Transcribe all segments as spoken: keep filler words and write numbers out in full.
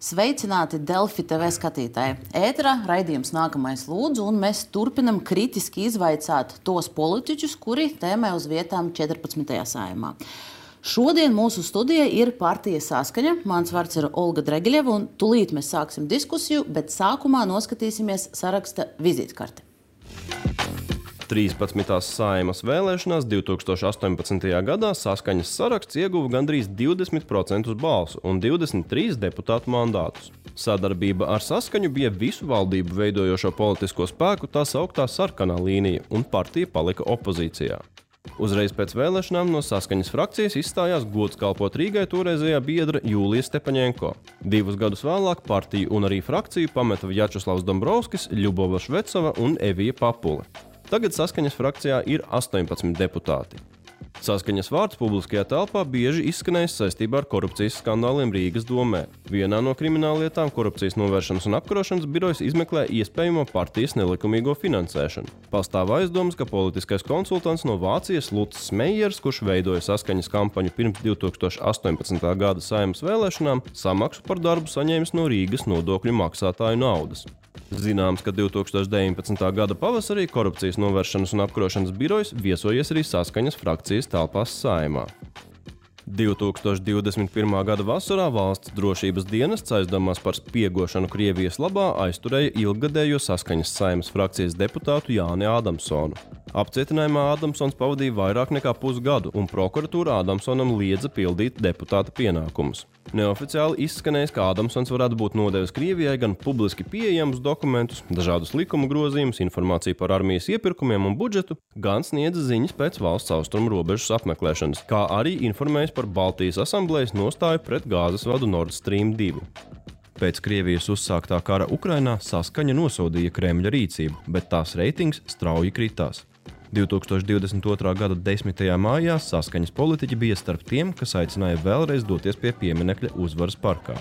Sveicināti Delfi T V skatītāji. Ēterā raidījums Nākamais lūdzu, un mēs turpinam kritiski izvaicāt tos politiķus, kuri tēmē uz vietām četrpadsmitajā Saeimā. Šodien mūsu studijā ir partija Saskaņa. Mans vārds ir Olga Dregiļeva, un tulīt mēs sāksim diskusiju, bet sākumā noskatīsimies saraksta vizītkarti. trīspadsmitās Saeimas vēlēšanās divi tūkstoši astoņpadsmitajā gadā Saskaņas saraksts ieguva gandrīz divdesmit procentus balsu un divdesmit trīs deputātu mandātus. Sadarbība ar Saskaņu bija visu valdību veidojošo politisko spēku tā sauktā sarkanā līnija, un partija palika opozīcijā. Uzreiz pēc vēlēšanām no Saskaņas frakcijas izstājās gods kalpot Rīgai toreizējā biedra Jūlija Stepaņenko. Divus gadus vēlāk partiju un arī frakciju pameta Vjačeslavs Dombrovskis, Ļubova Švecova un Evija Papule. Tagad Saskaņas frakcijā ir astoņpadsmit deputāti. Saskaņas vārds publiskajā telpā bieži izskanējis saistībā ar korupcijas skandāliem Rīgas domē. Vienā no krimināllietām Korupcijas novēršanas un apkarošanas birojas izmeklē iespējamo partijas nelikumīgo finansēšanu. Pastāv aizdomas, ka politiskais konsultants no Vācijas Luts Meijers, kurš veidoja Saskaņas kampaņu pirms divi tūkstoši astoņpadsmitā gada Saeimas vēlēšanām, samaksu par darbu saņēmis no Rīgas nodokļu maksātāju naudas. Zināms, ka divi tūkstoši deviņpadsmitā gada pavasarī Korupcijas novēršanas un apkarošanas birojas viesojies arī Saskaņas frakcijas telpās Saeimā. divi tūkstoši divdesmit pirmā gada vasarā valsts drošības dienests aizdomās par spiegošanu Krievijas labā aizturēja ilggadējo Saskaņas Saeimas frakcijas deputātu Jāni Ādamsonu. Apcietinājumā Ādamsons pavadīja vairāk nekā pusgadu, un prokuratūra Ādamsonam liedza pildīt deputāta pienākumus. Neoficiāli izskanējis, ka Ādamsons varētu būt nodevis Krievijai gan publiski pieejamus dokumentus, dažādus likuma grozījumus, informāciju par armijas iepirkumiem un budžetu, gan sniedza ziņas pēc valsts austrumu robežas apmeklēšanas, kā arī informējis par Baltijas asamblējas nostāju pret gāzes vadu Nord Stream divi. Pēc Krievijas uzsāktā kara Ukrainā Saskaņa nosodīja Kremļa rīcību, bet tās reitings strauji kritās. divi tūkstoši divdesmit otrā gada desmitajā mājā Saskaņas politiķi bija starp tiem, kas aicināja vēlreiz doties pie pieminekļa Uzvaras parkā.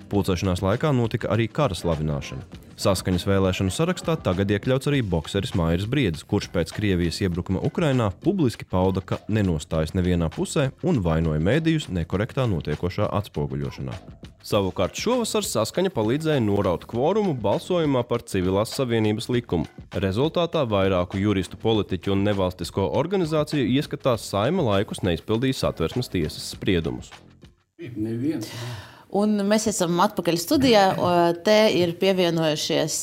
Pulcēšanās laikā notika arī kara slavināšana. Saskaņas vēlēšanu sarakstā tagad iekļauts arī bokseris Mairis Briedis, kurš pēc Krievijas iebrukuma Ukrainā publiski pauda, ka nenostājas nevienā pusē un vainoja mēdījus nekorektā notiekošā atspoguļošanā. Savukārt šovasar Saskaņa palīdzēja noraut kvorumu balsojumā par civilās savienības likumu. Rezultātā vairāku juristu, politiķu un nevalstisko organizāciju ieskatās Saeima laikus neizpildīja Satversmes tiesas spriedumus. Neviens. Un mēs esam atpakaļ studijā. Te ir pievienojušies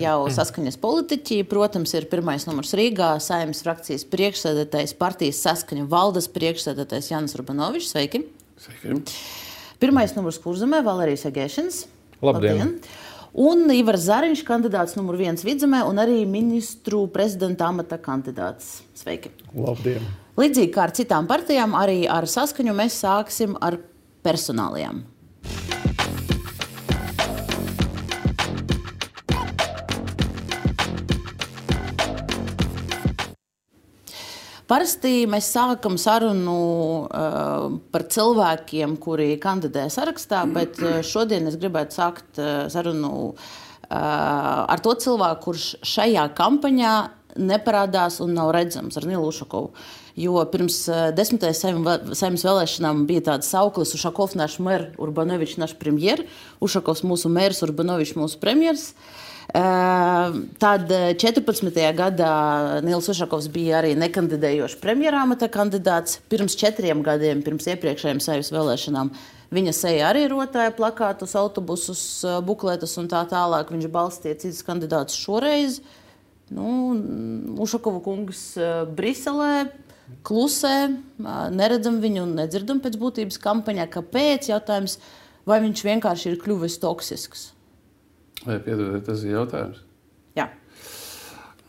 jau Saskaņas politiķi. Protams, ir pirmais numurs Rīgā, Saeimas frakcijas priekšsēdētājs, partijas Saskaņa valdes priekšsēdētājs Jānis Urbanovičs. Sveiki! Sveiki! Pirmais numurs Kurzemē, Valērijas Egēšins. Labdien! Labdien. Un Ivars Zariņš, kandidāts numur viens Vidzemē un arī ministru prezidenta amata kandidāts. Sveiki! Labdien! Līdzīgi kā ar citām partijām, arī ar Saskaņu mēs sāksim ar personālijām. Parasti mēs sākam sarunu uh, par cilvēkiem, kuri kandidē sarakstā, bet šodien es gribētu sākt uh, sarunu uh, ar to cilvēku, kurš šajā kampaņā neparādās un nav redzams, ar Nilu Ušakovu. Jo pirms uh, desmitajā Saeimas vēlēšanām bija tāds sauklis Ušakov naš mer, Urbanovičs naš premjer, Ušakovs mūsu mērs, Urbanovičs mūsu premjers. Tad četrpadsmitajā gadā Nils Ušakovs bija arī nekandidējošs premjerāmata kandidāts. Pirms četriem gadiem, pirms iepriekšējiem Saeimas vēlēšanām, viņa seja arī rotāja plakātus, autobusus, bukletus un tā tālāk. Viņš balstīja citus kandidātus šoreiz. Nu, Ušakova kungs Briselē klusē, neredzam viņu un nedzirdam pēc būtības kampaņā. Kāpēc? Jautājums, vai viņš vienkārši ir kļuvis toksisks? Vai piedodiet, tas ir jautājums? Jā.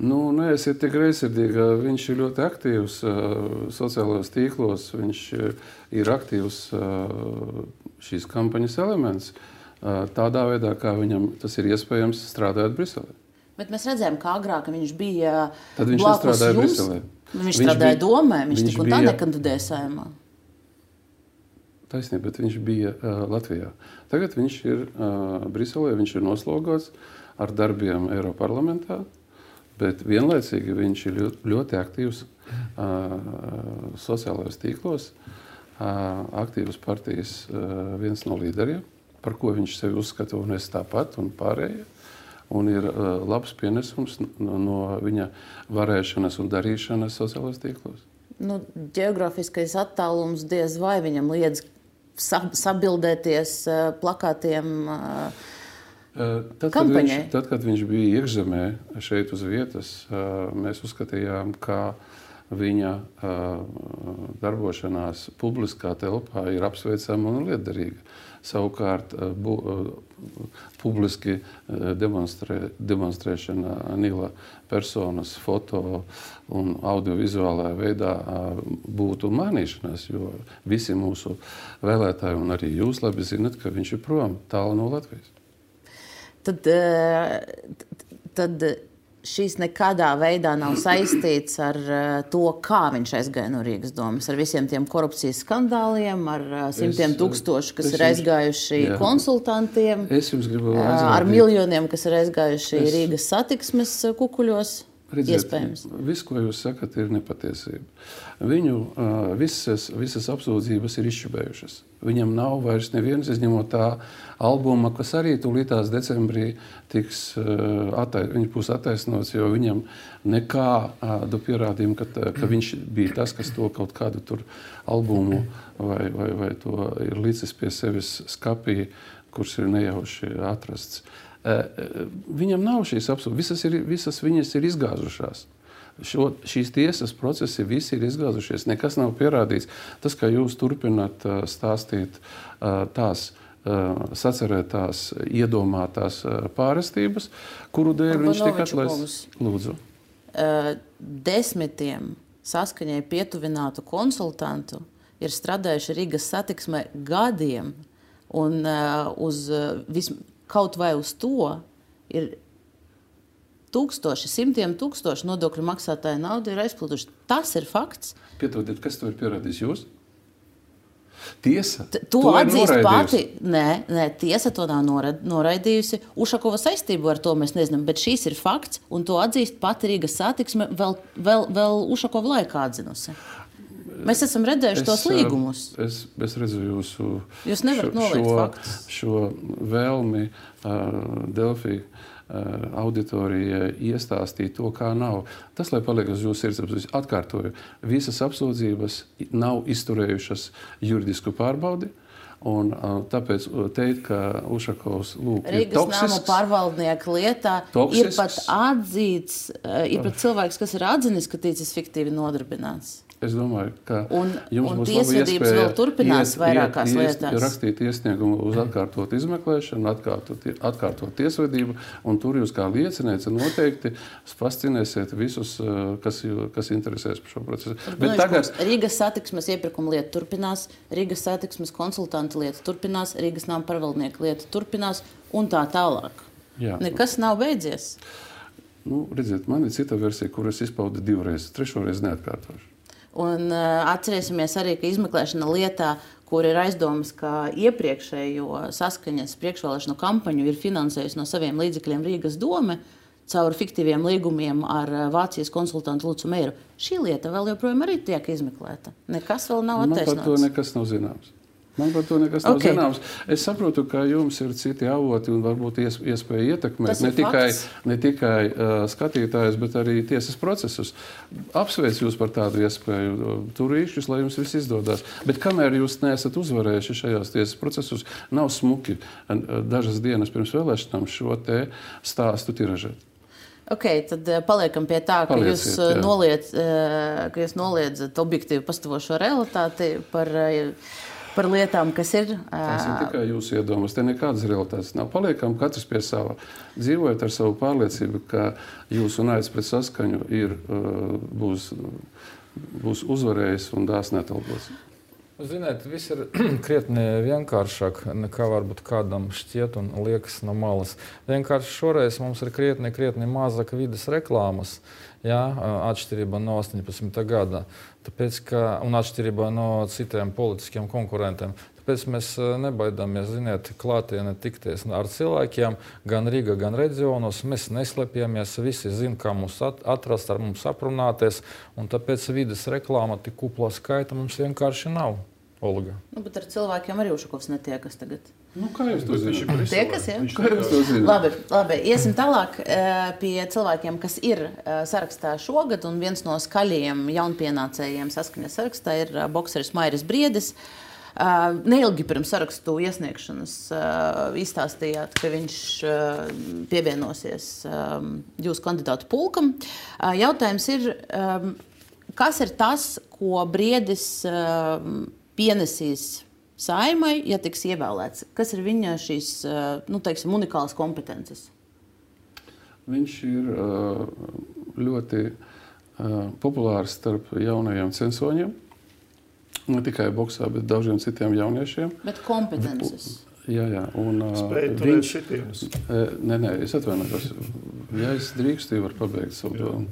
Nu, neesiet tik greizsirdīgi. Viņš ir ļoti aktīvs uh, sociālajos tīklos. Viņš uh, ir aktīvs uh, šīs kampaņas elements. Uh, tādā veidā, kā viņam tas ir iespējams strādāt Briselē. Bet mēs redzējām, kā agrāk viņš bija Tad viņš blakus nestrādāja jums. Briselē. Viņš, viņš Viņš strādāja bija- domē, viņš, viņš tik un tā bija- nekandidēja Saeimā. Taisnība, bet viņš bija uh, Latvijā. Tagad viņš ir uh, Briselē, viņš ir noslogots ar darbiem Eiroparlamentā, bet vienlaicīgi viņš ir ļoti, ļoti aktīvs uh, sociālajos tīklos, uh, aktīvas partijas uh, viens no līderiem. par ko viņš sevi uzskata, un es tāpat, un pārējie. Un ir uh, labs pienesums no, no viņa varēšanas un darīšanas sociālajos tīklos. Nu, ģeogrāfiskais attālums diez vai viņam liedz sab sabildēties uh, plakātiem uh, tad, kad kampaņai. Viņš, tad, kad viņš bija iekšzemē šeit uz vietas, uh, mēs uzskatījām, ka viņa uh, darbošanās publiskā telpā ir apsveicama un lietderīga. Savukārt bu, publiski demonstrē, demonstrēšana Nila personas foto un audiovizuālā veidā būtu mainīšanās, jo visi mūsu vēlētāji un arī jūs labi zinat, ka viņš ir prom tālu no Latvijas. Tad, tad šīs nekādā veidā nav saistīts ar to, kā viņš aizgāja no Rīgas domas, ar visiem tiem korupcijas skandāliem, ar simtiem tūkstošu, kas ir aizgājuši jā. konsultantiem, es jums gribu aizrādīt. Ar miljoniem, kas ir aizgājuši es... Rīgas satiksmes kukuļos. Redziet, viss, ko jūs sakat, ir nepatiesība. Viņu uh, visas, visas apsūdzības ir izšķibējušas. Viņam nav vairs nevienas, izņemot tā albuma, kas arī tūlītās decembrī tiks uh, attais, viņš būs attaisnots, jo viņam nekādu pierādījumu, ka, ka viņš bija tas, kas to kaut kādu tur albumu vai, vai, vai to ir licis pie sevis skapī, kurš ir nejauši atrasts. Viņam nav šīs apsūdzības, visas, ir, visas viņas ir izgāzušās. Šo, šīs tiesas procesi visi ir izgāzušies, nekas nav pierādīts. Tas, ka jūs turpināt stāstīt tās sacerētās, iedomātās pārestības, kuru dēļ viņš tika atlaists. Lūdzu. Desmitiem saskaņai pietuvinātu konsultantu ir strādājuši Rīgas satiksmē gadiem, un uz vismaz kaut vai uz to ir tūkstoši, simtiem tūkstoši nodokļu maksātāju naudu ir aizplūduši. Tas ir fakts. Piedodiet, kas to ir pierādījis jūs? Tiesa T to, to atzīst pati. Nē, nē, tiesa to nav noraidījusi. Ušakova saistību ar to mēs nezinām, bet šīs ir fakts, un to atzīst pati Rīgas satiksme vēl, vēl, vēl Ušakova laikā atzinusi. Mēs esam redzējuši es, tos līgumus. Es, es redzu jūsu Jūs nevarat noliegt šo, faktus. šo vēlmi uh, Delfi uh, auditorijai iestāstīt to, kā nav. Tas, lai paliek uz jūsu sirdsapziņas, atkārtoju, visas apsūdzības nav izturējušas juridisku pārbaudi. Un, uh, tāpēc teikt, ka Ušakovs lūk, ir Rīgas toksisks. Rīgas nama pārvaldnieka lietā toksisks. Ir pat atzīts, uh, ir pat cilvēks, kas ir atzinis, ka ticis fiktīvi nodarbināts. Es domāju, ka un, jums un būs laba iespēja vēl turpinās iet, vairākās iet, lietās. Rakstīt iesniegumu uz atkārtot izmeklēšanu, atkārtot, atkārtot tiesvedību, un tur jūs kā liecinieci noteikti fascinēsiet visus, kas, kas interesēs par šo procesu. Bet tagad... Rīgas satiksmes iepirkuma lieta turpinās, Rīgas satiksmes konsultanta lieta turpinās, Rīgas nama pārvaldnieka lieta turpinās un tā tālāk. Jā. Nekas nav beidzies. Nu, redziet, man ir cita versija, kuras izpauda divreiz, trešoreiz neatkārtošu. Un uh, atcerēsimies arī, ka izmeklēšana lietā, kur ir aizdomas, ka iepriekšējo saskaņas priekšvēlēšanu kampaņu ir finansējusi no saviem līdzekļiem Rīgas dome caur fiktīviem līgumiem ar Vācijas konsultantu Lucu Meiru. Šī lieta vēl joprojām arī tiek izmeklēta. Nekas vēl nav attaisnots. Man par to nekas nav zināms. Man par to nekas nav okay. zināms. Es saprotu, ka jums ir citi avoti un varbūt iespēja ietekmēt ne tikai, ne tikai uh, skatītājus, bet arī tiesas procesus. Apsveic jūs par tādu iespēju. Turīšķus, lai jums viss izdodās. Bet kamēr jūs neesat uzvarējuši šajās tiesas procesus, nav smuki dažas dienas pirms vēlēšanām šo te stāstu tiražēt. Ok, tad paliekam pie tā, ka Palieciet, jūs, noliedz, ka jūs noliedzat objektīvi pastāvošo realitāti par... par lietām, kas ir... Tas ir tikai jūsu iedomas. Te nekādas realitātes nav. Paliekam katrs pie sava. Dzīvojat ar savu pārliecību, ka jūsu naids pret saskaņu ir, būs, būs uzvarējis un dāsni atalgots. Ziniet, viss ir krietni vienkāršāk, nekā varbūt kādam šķiet un liekas no malas. Vienkārši šoreiz mums ir krietni, krietni mazāk vides reklāmas, jā, atšķirībā no astoņpadsmitā gada. Tāpēc, ka, un atšķirībā no citiem politiskiem konkurentiem. Tāpēc mēs nebaidāmies, ziniet, klātienē tikties ar cilvēkiem, gan Rīgā, gan reģionos. Mēs neslēpjamies, visi zina, kā mums atrast, ar mums aprunāties, un tāpēc vides reklāma tik kuplā skaita mums vienkārši nav. Olga. Nu, bet ar cilvēkiem arī Ušakovs netiekas tagad. Nu, kā jūs to zināt? Tiekas, jā? Kā jūs to zināt? Labi, labi, iesim tālāk pie cilvēkiem, kas ir sarakstā šogad, un viens no skaļajiem jaunpienācējiem saskaņas sarakstā ir bokseris Mairis Briedis. Neilgi pirms sarakstu iesniegšanas izstāstījāt, ka viņš pievienosies jūsu kandidātu pulkam. Jautājums ir, kas ir tas, ko Briedis pienesīs Saeimai, ja tiks ievēlēts? Kas ir viņa šīs, nu, teiksim, unikālas kompetences? Viņš ir ļoti populārs starp jaunajiem censoņiem. Ne tikai boksā, bet daudziem citiem jauniešiem. Bet kompetences? Jā, jā. Un, Spēj turēt viņš... šitienes? Nē, nē, es atvainojos. Ja es drīkstu, jau var pabeigt savu domu.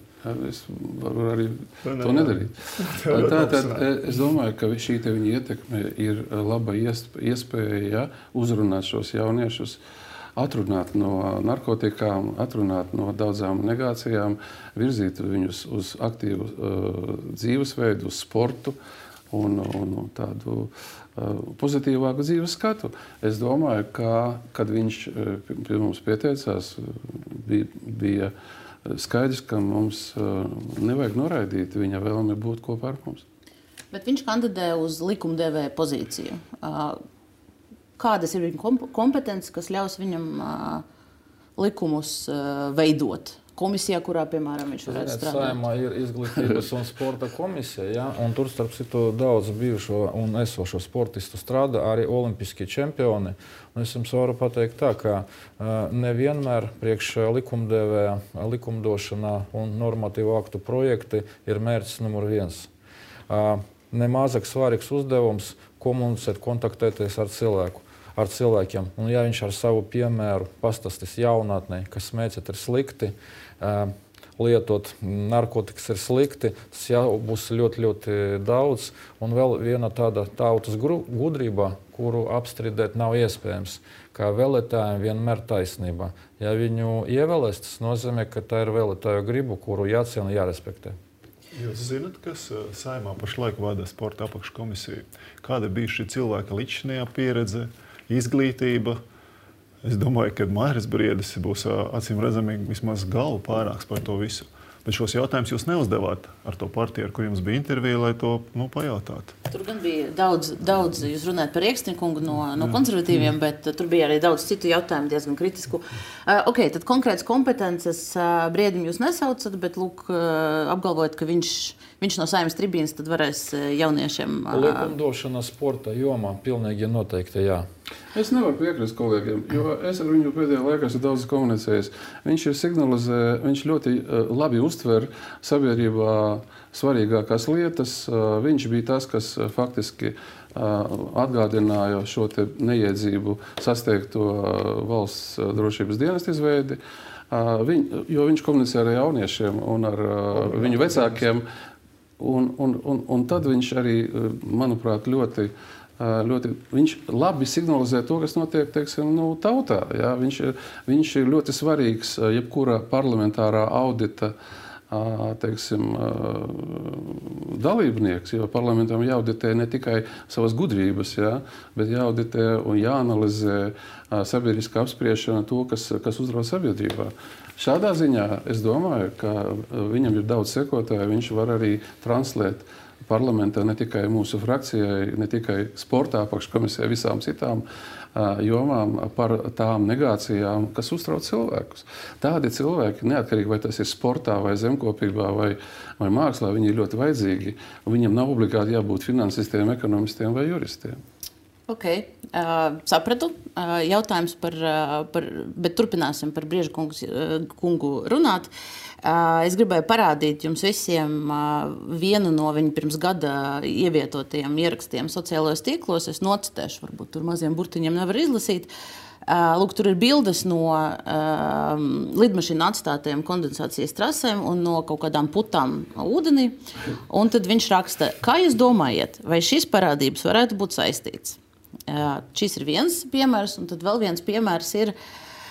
Es varu arī to nedarīt. Tātad es domāju, ka šī te viņa ietekme ir laba iespēja, ja, uzrunāt šos jauniešus, atrunāt no narkotikām, atrunāt no daudzām negācijām, virzīt viņus uz aktīvu uh, dzīvesveidu, uz sportu un, un, un tādu uh, pozitīvāku dzīves skatu. Es domāju, ka, kad viņš uh, pie mums pieteicās, bija, bija skaidrs, ka mums uh, nevajag noraidīt viņa vēlmi būt kopā ar mums. Bet viņš kandidē uz likumdevēja pozīciju. Uh, kādas ir viņa kompetences, kas ļaus viņam uh, likumus uh, veidot? Komisijā, kurā, piemēram, viņš varētu strādāt? Saeimā ir izglītības un sporta komisija, ja? Un tur, starp citu, daudz bijušo un esošo sportistu strādā, arī olimpiskie čempioni. Un es jums varu pateikt tā, ka uh, nevienmēr priekš likumdevēja, likumdošanā un normatīvu aktu projekti ir mērķis numur viens. Uh, nemazāk svarīgs uzdevums komunicēt, kontaktēties ar cilvēku. ar cilvēkiem. Un ja viņš ar savu piemēru pastāstīs jaunatnē, ka smēķēt ir slikti, uh, lietot narkotikas ir slikti, tas jau būs ļoti, ļoti daudz. Un vēl viena tāda tautas gudrība, kuru apstrīdēt nav iespējams, kā vēlētājiem vienmēr taisnība. Ja viņu ievēlēs, tas nozīmē, ka tā ir vēlētāju gribu, kuru jāciena, jārespektē. Jūs zināt, kas Saeimā pašlaik vada sporta apakškomisiju? Kāda bija šī cilvēka līdzinājā pieredze, izglītība? Es domāju, ka Mairis Briedis būs acīm redzami vismaz galvu pārāks par to visu. Bet šos jautājumus jūs neuzdevāt ar to partiju, ar kur jums bija intervija, lai to nu, pajautātu. Tur gan bija daudz, daudz jūs runājat par Rieksnikungu no, no konservatīviem, bet tur bija arī daudz citu jautājumu, diezgan kritisku. Uh, ok, tad konkrētas kompetences uh, Briedim jūs nesaucat, bet lūk, uh, apgalvojat, ka viņš, viņš no Saeimas tribīnas tad varēs jauniešiem... Uh, Likumdošana sporta jomā pilnīgi noteikti, jā. Es nevaru piekrist kolēģiem, jo es ar viņu pēdējā laikā esmu daudz komunicējis. Viņš ir signalizē, viņš ļoti uh, labi uztver sabiedrībā svarīgākās lietas. Uh, viņš bija tas, kas uh, faktiski uh, atgādināja šo te neiedzību sasteigto uh, valsts uh, drošības dienestu izveidi, uh, viņ, jo viņš komunicē ar jauniešiem un ar uh, viņu vecākiem. Un, un, un, un tad viņš arī, uh, manuprāt, ļoti Ļoti, viņš labi signalizē to, kas notiek, teiksim, nu, tautā. Ja? Viņš, viņš ir ļoti svarīgs jebkura parlamentārā audita teiksim, dalībnieks, jo parlamentam jāauditē ne tikai savas gudrības, ja? Bet jāauditē un jāanalizē sabiedriskā apspriešana to, kas, kas uzrauj sabiedrībā. Šādā ziņā es domāju, ka viņam ir daudz sekotāju, viņš var arī translēt parlamentā ne tikai mūsu frakcijai, ne tikai sportā apakškomisijai, visām citām uh, jomām par tām negācijām, kas uztrauc cilvēkus. Tādi cilvēki, neatkarīgi vai tas ir sportā, vai zemkopībā, vai, vai mākslā, viņi ir ļoti vajadzīgi. Viņam nav obligāti jābūt finansistiem, ekonomistiem vai juristiem. Ok, uh, sapratu. Uh, jautājums par, uh, par, bet turpināsim par Brieža kungu, uh, kungu runāt. Uh, es gribēju parādīt jums visiem uh, vienu no viņa pirms gada ievietotajiem ierakstiem sociālajos tīklos. Es nocitēšu, varbūt tur maziem burtiņiem nevar izlasīt. Uh, lūk, tur ir bildes no uh, lidmašīnu atstātajiem kondensācijas trasēm un no kaut kādām putām ūdenī. Un tad viņš raksta, kā jūs domājat, vai šīs parādības varētu būt saistīts? Uh, šis ir viens piemērs, un tad vēl viens piemērs ir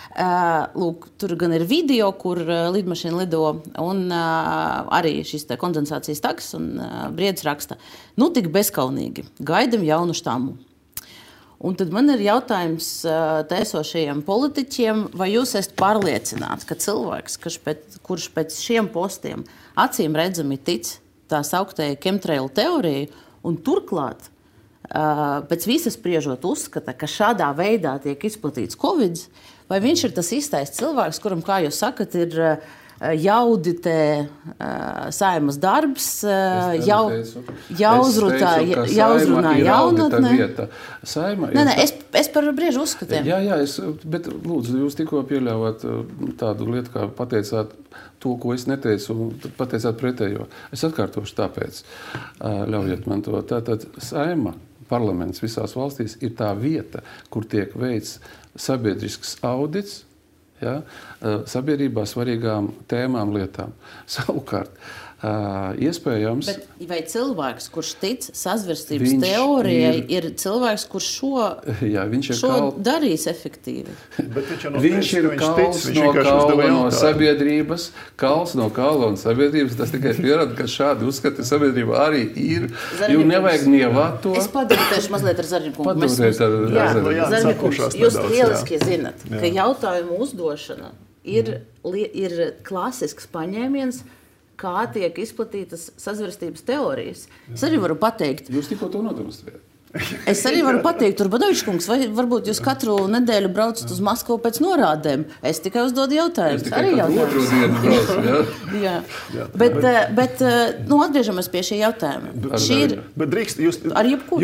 Lūk, tur gan ir video, kur lidmašīna lido, un arī šis te kondensācijas tags un Briedis raksta, nu tik bezkaunīgi, gaidam jaunu štamu. Un tad man ir jautājums tēsošajiem politiķiem, vai jūs esat pārliecināti, ka cilvēks, kurš pēc, kurš pēc šiem postiem acīm redzami tic tā sauktēja chemtrail teoriju, un turklāt pēc visas spriežot uzskata, ka šādā veidā tiek izplatīts Covid, vai viņš ir tas īstais cilvēks, kuram, kā jūs sakat, ir jaudite Saeimas darbs, jau, jauzrunā jaunatne. Saima nē, nē, es, es par briežu uzskatiem. Jā, jā, es, bet lūdzu, jūs tikko pieļāvāt tādu lietu, kā pateicāt to, ko es neteicu, un pateicāt pretējo. Es atkārtošu tāpēc. Ļaujiet man to. Tātad Saima, parlaments visās valstīs, ir tā vieta, kur tiek veikts sabiedrisks audits, ja, sabiedrībā svarīgām tēmām, lietām. Savukārt, iespējams... Bet vai cilvēks, kurš tic sazvērstības teorijai, ir, ir cilvēks, kurš šo, jā, viņš ir šo kal... darīs efektīvi? No viņš ir kals tic, no kaula no sabiedrības, kals no kaula un sabiedrības. Tas tikai pierāda, ka šādi uzskati sabiedrība arī ir. Jo nevajag nievāt to. Es padarīšu mazliet ar Zarņikungu. Padurēt ar Zarņikungu. Jūs lieliski zinat, jā. Ka jautājumu uzdošana ir, ir klasisks paņēmiens, kā tiek izplatītas sazvērstības teorijas. Es arī varu pateikt... Jūs tikko to nodemonstrējat. Es arī varu pateikt, Urbanovičs kungs, vai varbūt jūs katru nedēļu braucat uz Maskavu pēc norādēm. Es tikai uzdodu jautājumus. Es tikai katru otru dienu braucu, jā. jā. jā. Bet, bet, nu, atgriežamies pie šī jautājuma. Šī ir... Bet drīkst, jūs,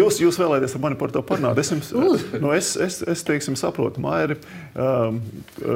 jūs, jūs vēlēties ar mani par to parunāt. Es, jums, nu, es, es, es teiksim, saprotu, Mairi, um,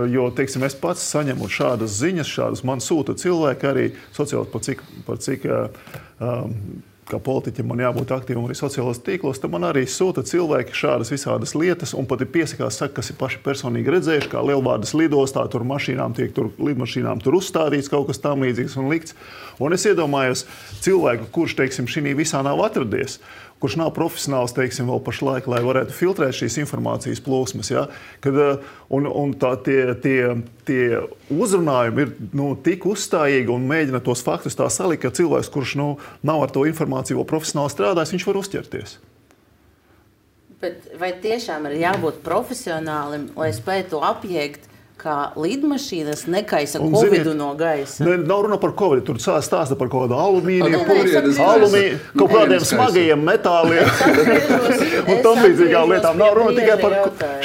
jo, teiksim, es pats saņemu šādas ziņas, šādas man sūta cilvēki arī sociāli par cik, par cik um, kā politiķim man jābūt aktīvam arī sociālos tīklos, tad man arī sūta cilvēki šādas visādas lietas un pat ir piesakās, saka, kas ir paši personīgi redzējuši, kā Lielvārdas lidostā, tur mašīnām tiek, tur lidmašīnām tur uzstādīts kaut kas tam līdzīgs un likts. Un es iedomājos cilvēku, kurš, teiksim, šī visā nav atradies, kurš nav profesionāls, teiksim, vēl pašlaik, lai varētu filtrēt šīs informācijas plūsmas, ja? Kad, un, un tā, tie, tie, tie uzrunājumi ir nu, tik uzstājīgi un mēģina tos faktus tā salikt, ka cilvēks, kurš nu, nav ar to informāciju vēl profesionāli strādājis, viņš var uzķerties. Bet vai tiešām ir jābūt profesionālim, lai spētu to apjēgt, kā lidmašīnas nekaisa un, Covidu ziniet, no gaisa? Ne, nav runa par Covidu, tur stāsta par kaut kādu alumīniju, alumīniju, kaut kādiem smagajiem metāliem un tam līdzīgām lietām. Nav runa tikai par...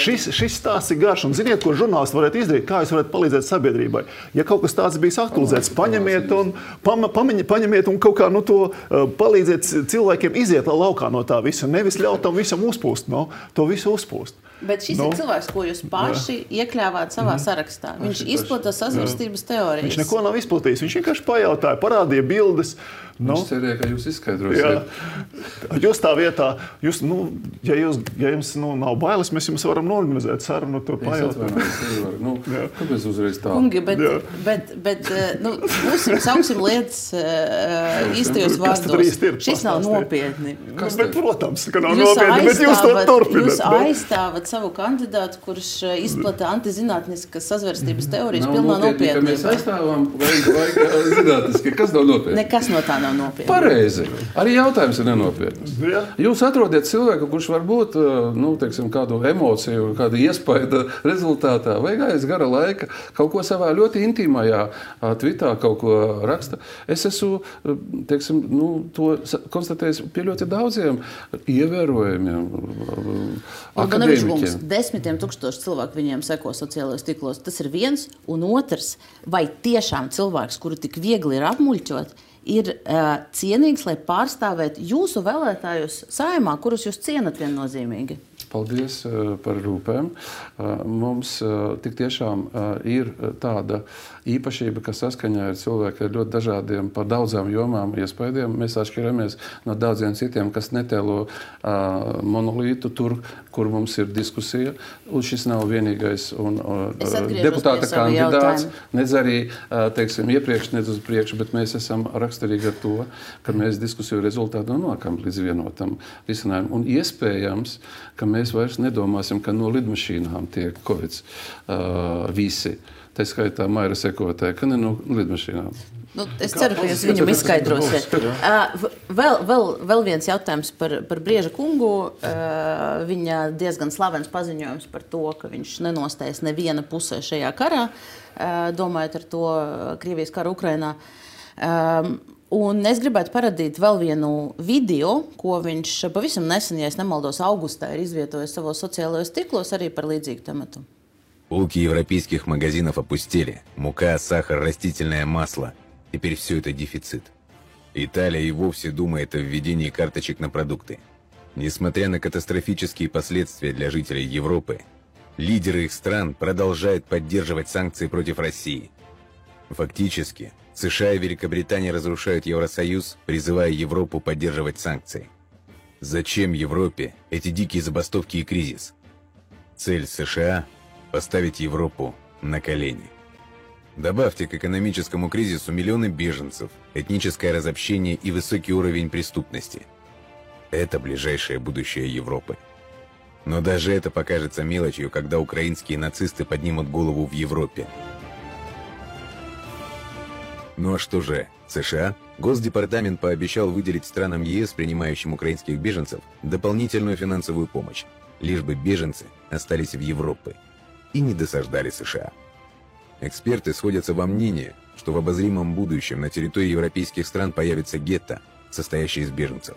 Šis, šis stāsts ir garš, un ziniet, ko žurnālisti varētu izdarīt, kā jūs varētu palīdzēt sabiedrībai. Ja kaut kas tāds bijis aktualizēts, paņemiet un, pam, pamiņ, paņemiet un kaut kā nu, to uh, palīdziet cilvēkiem iziet laukā no tā visa, nevis ļaut tam visam uzpūst, no, to visu uzpūst. Bet šis no. ir cilvēks, ko jūs paši jā. iekļāvāt savā sarakstā. Viņš izplata sazvērstības teorijas. Viņš neko nav izplatījis. Viņš vienkārši pajautāja, parādīja bildes. No. Viņš cerēja, ka jūs izskaidrosiet. Jūs tā vietā, jūs, nu, ja, jūs, ja jums nu, nav bailes, mēs jums varam norganizēt sarunu, tur pajautāt. Nu, kāpēc uzreiz tā? Kungi, bet, bet, bet nu, būsim, sauksim lietas uh, īstajos vārdos. Šis nav nopietni. Kas bet, protams, ka nav nopietni, bet jūs to turpināt. Jūs aizstāvat savu kandidātu, kurš izplata antizinātniskas sazvērstības teorijas pilnā nopietnībā. Mēs aizstāvam vajag, vajag zinātniski, kas nav nopietni. Nekas no tā nav nopietni. Pareizi. Arī jautājums ir nenopietns. Ja. Jūs atrodiet cilvēku, kurš varbūt, nu, teiksim, kādu emociju, kādu iespaidu rezultātā vai aiz gara laika kaut ko savā ļoti intīmajā tvitā kaut ko raksta. Es esmu, teiksim, nu, to konstatējis pie ļoti daudziem ievērojumiem akadēmiķiem. Desmitiem tūkstoši cilvēku viņiem seko sociālajos tīklos. Tas ir viens. Un otrs, vai tiešām cilvēks, kuru tik viegli ir apmuļķot, ir uh, cienīgs, lai pārstāvētu jūsu vēlētājus Saeimā, kurus jūs cienat viennozīmīgi? Paldies uh, par rūpēm. Uh, mums uh, tik tiešām uh, ir tāda īpašība, ka saskaņā ar cilvēku ar ļoti dažādiem par daudzām jomām iespaidiem. Mēs atšķiramies no daudziem citiem, kas netēlo uh, monolītu tur, kur mums ir diskusija. Un šis nav vienīgais un, uh, deputāta kandidāts. Nedz arī, uh, teiksim, iepriekš, nedz uz priekšu, bet mēs esam raksturīgi ar to, ka mēs diskusiju rezultātu nonākam līdz vienotam risinājumam. Un iespējams, ka mēs mēs vairs nedomāsim, ka no lidmašīnām tiek kovids uh, visi. Tā skaitā Maira sekotāja, ka ne no lidmašīnām. Nu, es ceru, ka jūs viņam izskaidrosiet. Uh, vēl, vēl, vēl viens jautājums par, par Brieža kungu. Uh, viņa diezgan slavens paziņojums par to, ka viņš nenostējas neviena pusē šajā karā, uh, domājot ar to Krievijas karu Ukrainā. Um, un es gribētu parādīt vēl vienu video, ko viņš pavisam nesen, ja es nemaldos, augustā ir izvietojis savos sociālajos tīklos arī par līdzīgu tematu. Полки европейских магазинов опустели. Мука, сахар, растительное масло. Теперь все это дефицит. Италия и вовсе думает о введении карточек на продукты. Несмотря на катастрофические последствия для жителей Европы, лидеры их стран продолжают поддерживать санкции против России. Фактически, США и Великобритания разрушают Евросоюз, призывая Европу поддерживать санкции. Зачем Европе эти дикие забастовки и кризис? Цель США – поставить Европу на колени. Добавьте к экономическому кризису миллионы беженцев, этническое разобщение и высокий уровень преступности. Это ближайшее будущее Европы. Но даже это покажется мелочью, когда украинские нацисты поднимут голову в Европе. Ну а что же, США? Госдепартамент пообещал выделить странам ЕС, принимающим украинских беженцев, дополнительную финансовую помощь, лишь бы беженцы остались в Европе и не досаждали США. Эксперты сходятся во мнении, что в обозримом будущем на территории европейских стран появятся гетто, состоящие из беженцев.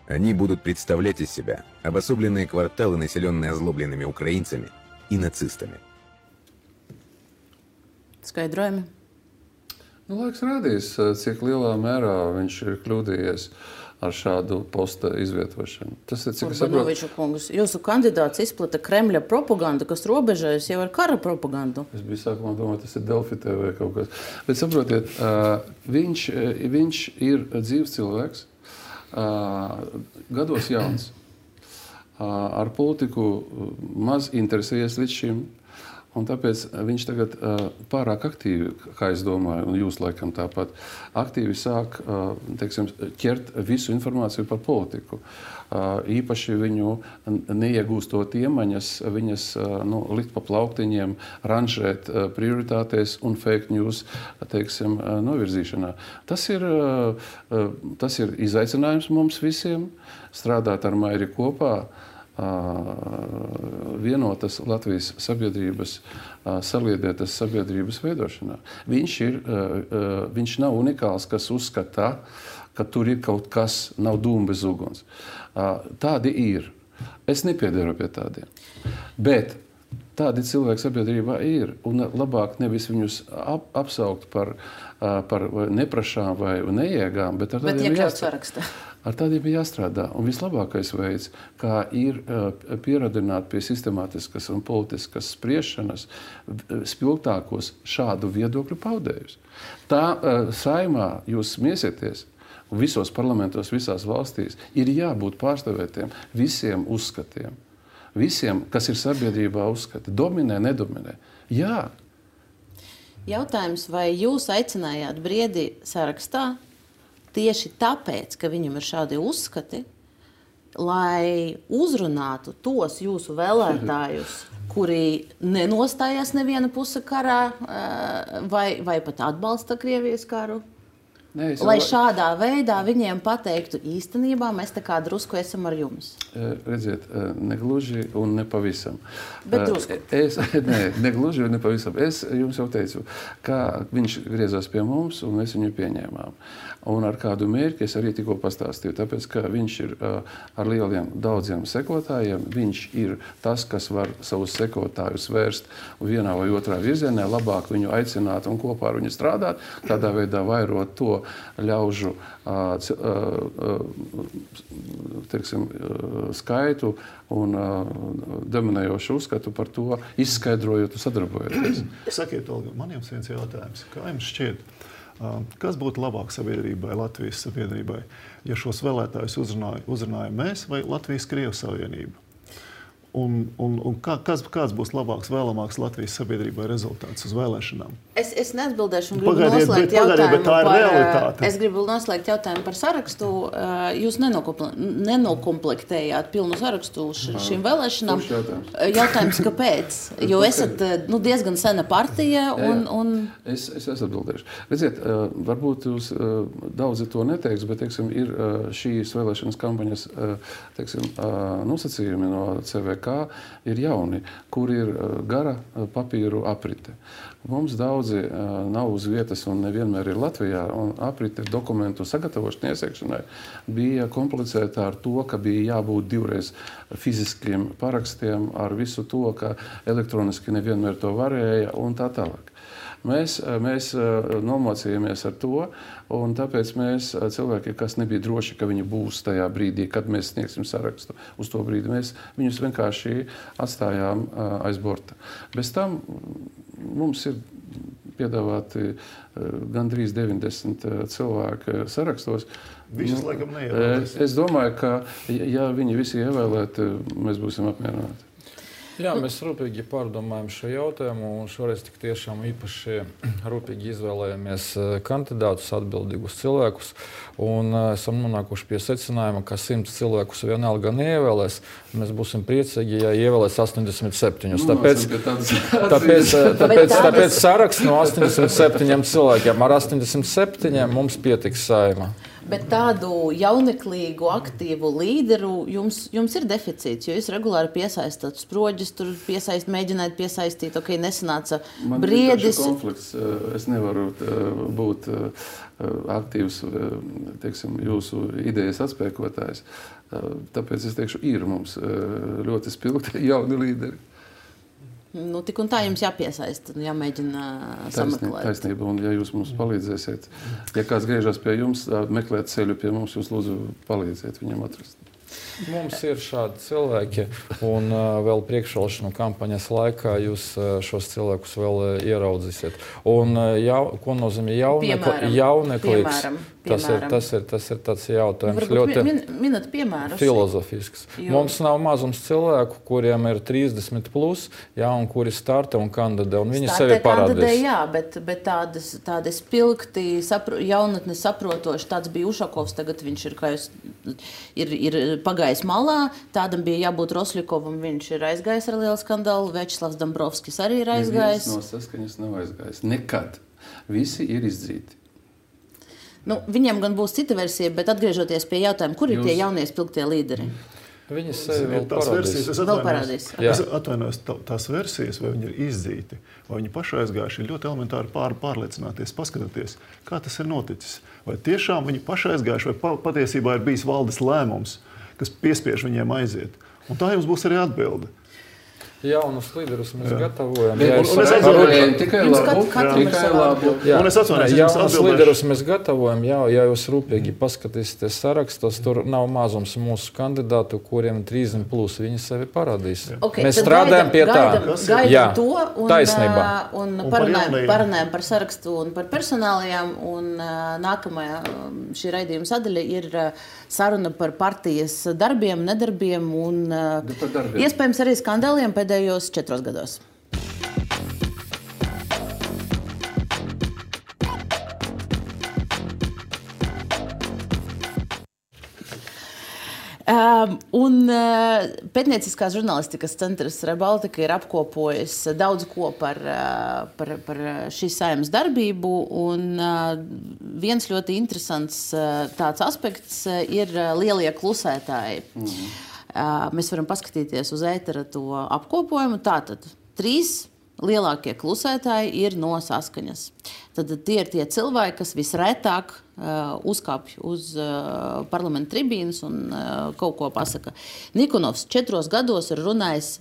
Они будут представлять из себя обособленные кварталы, населенные озлобленными украинцами и нацистами. Skaidrojumi. Nu, laiks rādīs, cik lielā mērā viņš ir kļūdījies ar šādu posta izvietošanu. Tas ir, cik es saprotu... kungs, jūsu kandidāts izplata Kremļa propagandu, kas robežojas jau ar kara propagandu. Es biju sākumā domāju, tas ir Delfi T V kaut kas. Bet saprotiet, viņš, viņš ir dzīves cilvēks, gados jauns, ar politiku maz interesējies līdz šim. Un tāpēc viņš tagad uh, pārāk aktīvi, kā es domāju, un jūs laikam tāpat, aktīvi sāk uh, teiksim, ķert visu informāciju par politiku. Uh, īpaši viņu neiegūstot iemaņas, viņas uh, nu, likt pa plauktiņiem, ranžēt uh, prioritātēs un fake news teiksim, uh, novirzīšanā. Tas ir, uh, uh, tas ir izaicinājums mums visiem, strādāt ar Mairi kopā, vienotas Latvijas sabiedrības, saliedētas sabiedrības veidošanā. Viņš, ir, viņš nav unikāls, kas uzskata, ka tur ir kaut kas, nav dūma bez uguns. Tādi ir. Es nepiedaru pie tādiem. Bet tādi cilvēki sabiedrībā ir. Un labāk nevis viņus ap, apsaukt par, par neprašām vai neiegām, bet ar tādiem jāstrādā. Ar tādiem ir jāstrādā. Un vislabākais veids, kā ir uh, pieradināt pie sistemātiskas un politiskas spriešanas spilgtākos šādu viedokļu paudējus. Tā uh, saimā jūs smiesieties, un visos parlamentos, visās valstīs, ir jābūt pārstāvētiem visiem uzskatiem. Visiem, kas ir sabiedrībā uzskati. Dominē, nedominē. Jā. Jautājums, vai jūs aicinājāt Briedi sarakstā tieši tāpēc, ka viņam ir šādi uzskati, lai uzrunātu tos jūsu vēlētājus, kuri nenostājās neviena puse karā vai, vai pat atbalsta Krievijas karu? Nē, lai šādā veidā viņiem pateiktu, īstenībā mēs tā kā drusku esam ar jums. Redziet, negluži un nepavisam. Bet drusku. Es, nē, negluži un nepavisam. Es jums jau teicu, kā viņš griezās pie mums un mēs viņu pieņēmām. Un ar kādu mērķi es arī tikko pastāstīju, tāpēc, ka viņš ir uh, ar lieliem daudziem sekotājiem, viņš ir tas, kas var savus sekotājus vērst vienā vai otrā virzienā, labāk viņu aicināt un kopā ar viņu strādāt, tādā veidā vairot to ļaužu uh, uh, teiksim, uh, skaitu un uh, dominējošu uzskatu par to, izskaidrojot un sadarbojoties. Sakiet, Olga, man jums viens jautājums. Kā jums šķiet, kas būtu labāk sabiedrībai, Latvijas sabiedrībai, ja šos vēlētājus uzrunāja, uzrunāja mēs vai Latvijas-Krievu savienība? Un, un, un kā, kas, kāds būs labāks, vēlamāks Latvijas sabiedrībai rezultāts uz vēlēšanām? Es, es neatbildēšu un gribu Pagaidiet, noslēgt bet, pagaidiet, jautājumu bet tā ir par, realitāte. es gribu noslēgt jautājumu par sarakstu. Jūs nenokomplektējāt pilnu sarakstu šīm vēlēšanām. Jautājums? Jautājums, kāpēc? Jo esat nu, diezgan sena partija. Un, un... Es, es esmu atbildējuši. Redziet, varbūt jūs daudzi to neteiks, bet teiksim, ir šīs vēlēšanas kampaņas teiksim, nosacījumi no C V K ir jauni, kur ir gara papīru aprite. Mums daudzi uh, nav uz vietas un nevienmēr ir Latvijā, un aprite dokumentu sagatavošanai, iesniegšanai bija komplicēta ar to, ka bija jābūt divreiz fiziskiem parakstiem ar visu to, ka elektroniski nevienmēr to varēja un tā tālāk. Mēs, mēs nomocījāmies ar to, un tāpēc mēs cilvēki, kas nebija droši, ka viņi būs tajā brīdī, kad mēs sniegsim sarakstu uz to brīdi, mēs viņus vienkārši atstājām aiz borta. Bez tam mums ir piedāvāti gandrīz deviņdesmit cilvēku sarakstos. Visas nu, laikam neievēlēs. Es domāju, ka ja viņi visi ievēlēti, mēs būsim apmierināti. Jā, mēs rūpīgi pārdomājam šo jautājumu, un šoreiz tik tiešām īpaši rūpīgi izvēlējāmies kandidātus, atbildīgus cilvēkus, un esam nonākuši pie secinājuma, ka simts cilvēkus vienalga neievēlēs. Mēs būsim priecīgi, ja ievēlēs astoņdesmit septiņus. Nu, tāpēc, tāpēc, tāpēc, tāpēc, tāpēc saraksts no astoņdesmit septiņiem cilvēkiem. Ar astoņdesmit septiņiem mums pietiks Saeima. Bet tādu jauneklīgu, aktīvu līderu jums, jums ir deficīts, jo jūs regulāri piesaistāt sproģis, tur piesaist, mēģināt piesaistīt, ok, nesanāca man briedis. Man ir konflikts. Es nevaru būt aktīvs, teiksim, jūsu idejas atspēkotājs. Tāpēc es teikšu, ir mums ļoti spilgti jauni līderi. Nu, tik un tā jums jāpiesaista, jāmēģina sameklēt. Taisnība, un ja jūs mums palīdzēsiet, ja kāds griežas pie jums, meklēt ceļu pie mums, jūs lūdzu palīdziet viņam atrast. Mums ir šādi cilvēki, un uh, vēl priekšvēlēšanu kampaņas laikā jūs uh, šos cilvēkus vēl uh, ieraudzīsiet. Un uh, jau, ko nozīmē jaunekli, jauneklīgs? Tas ir, tas, ir, tas ir tāds jautājums ļoti min, minat piemērus. Filozofisks. Jo. Mums nav mazums cilvēku, kuriem ir trīsdesmit plus, jā, un kuri starta un kandidē, un viņi sevi parādīs. Kandidē, jā, bet, bet tādas, tādi spilgti, sapro, jaunatni saprotoši, tāds bija Ušakovs, tagad viņš ir, kā jūs, ir, ir pagājis malā, tādam bija jābūt Rosļikovam, viņš ir aizgājis ar lielu skandālu, Večslavs Dombrovskis arī ir aizgājis. Neviens no Saskaņas nav aizgājis. Nekad. Visi ir izdzīti. Nu, viņiem gan būs cita versija, bet atgriežoties pie jautājuma, kur ir Jūs... tie jaunie spilgtie līderi? Viņi sevi vēl tās parādīs. Versijas, es vēl parādīs. Es atvainojos, tā, tās versijas, vai viņi ir izdzīti, vai viņi paši aizgājuši, ir ļoti elementāri pār, pārliecināties, paskatīties, kā tas ir noticis. Vai tiešām viņi paši aizgājuši, vai pa, patiesībā ir bijis valdes lēmums, kas piespiež viņiem aiziet. Un tā jums būs arī atbilde. Jaunus līderus mēs jā. gatavojam. Jā, un, un es atbildēju tikai labu. Tikai labu. Jā. Un es atvainojos, jaunus līderus mēs gatavojam. Jā, ja jūs rūpīgi paskatīsieties sarakstos, tur nav mazums mūsu kandidātu, kuriem trīsdesmit plus viņi sevi parādīs. Okay, mēs strādājam pie tā. Gaidām jā, to un, taisnībā. Un, un un parunājam, parunājam par sarakstu un par personālijām. Un uh, nākamajā šī raidījuma sadaļa ir uh, saruna par partijas darbiem, nedarbiem un uh, darbiem. Iespējams arī skandāliem pēdējos četros gados. Um, un uh, Pētnieciskās žurnālistikas centrs Rebaltika ir apkopojis daudz ko par, uh, par, par šīs Saeimas darbību, un uh, viens ļoti interesants uh, tāds aspekts uh, ir uh, lielie klusētāji. Mm-hmm. Uh, mēs varam paskatīties uz ētera to apkopojumu. Tātad trīs lielākie klusētāji ir no Saskaņas. Tad tie ir tie cilvēki, kas visretāk uh, uzkāpj uz uh, parlamenta tribīnas un uh, kaut ko pasaka. Nikonovs četros gados ir runājis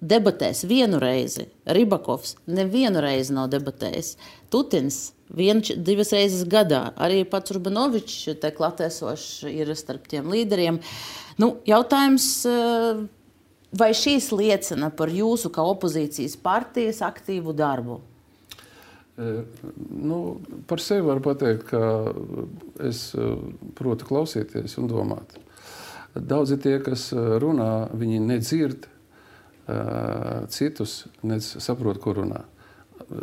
debatēs vienu reizi. Ribakovs nevienu reizi nav debatējis. Tutins vien, divas reizes gadā. Arī pats Urbanovičs te klatēsošs ir starp tiem līderiem. Nu, jautājums... Uh, Vai šīs liecina par jūsu kā opozīcijas partijas aktīvu darbu? E, nu, par sevi varu pateikt, ka es protu klausīties un domāt. Daudzi tie, kas runā, viņi nedzird uh, citus, nedz saprot, ko runā.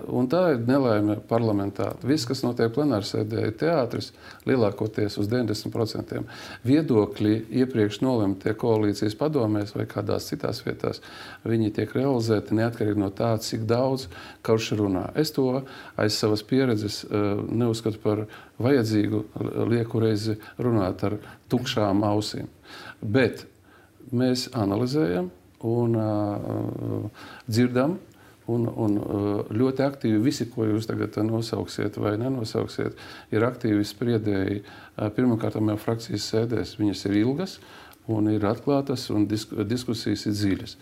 Un tā ir nelaime parlamentā. Viss, kas notiek plenārsēdē, ir teātris, lielākoties uz deviņdesmit procentiem. Viedokļi iepriekš nolemtie koalīcijas padomēs vai kādās citās vietās, viņi tiek realizēti neatkarīgi no tā, cik daudz kurš runā. Es to aiz savas pieredzes neuzskatu par vajadzīgu lieku reizi runāt ar tukšām ausīm. Bet mēs analizējam un uh, dzirdam, Un, un ļoti aktīvi visi, ko jūs tagad nosauksiet vai nenosauksiet, ir aktīvi spriedēji. Pirmkārt, jau frakcijas sēdēs viņas ir ilgas un ir atklātas un diskusijas ir dziļas.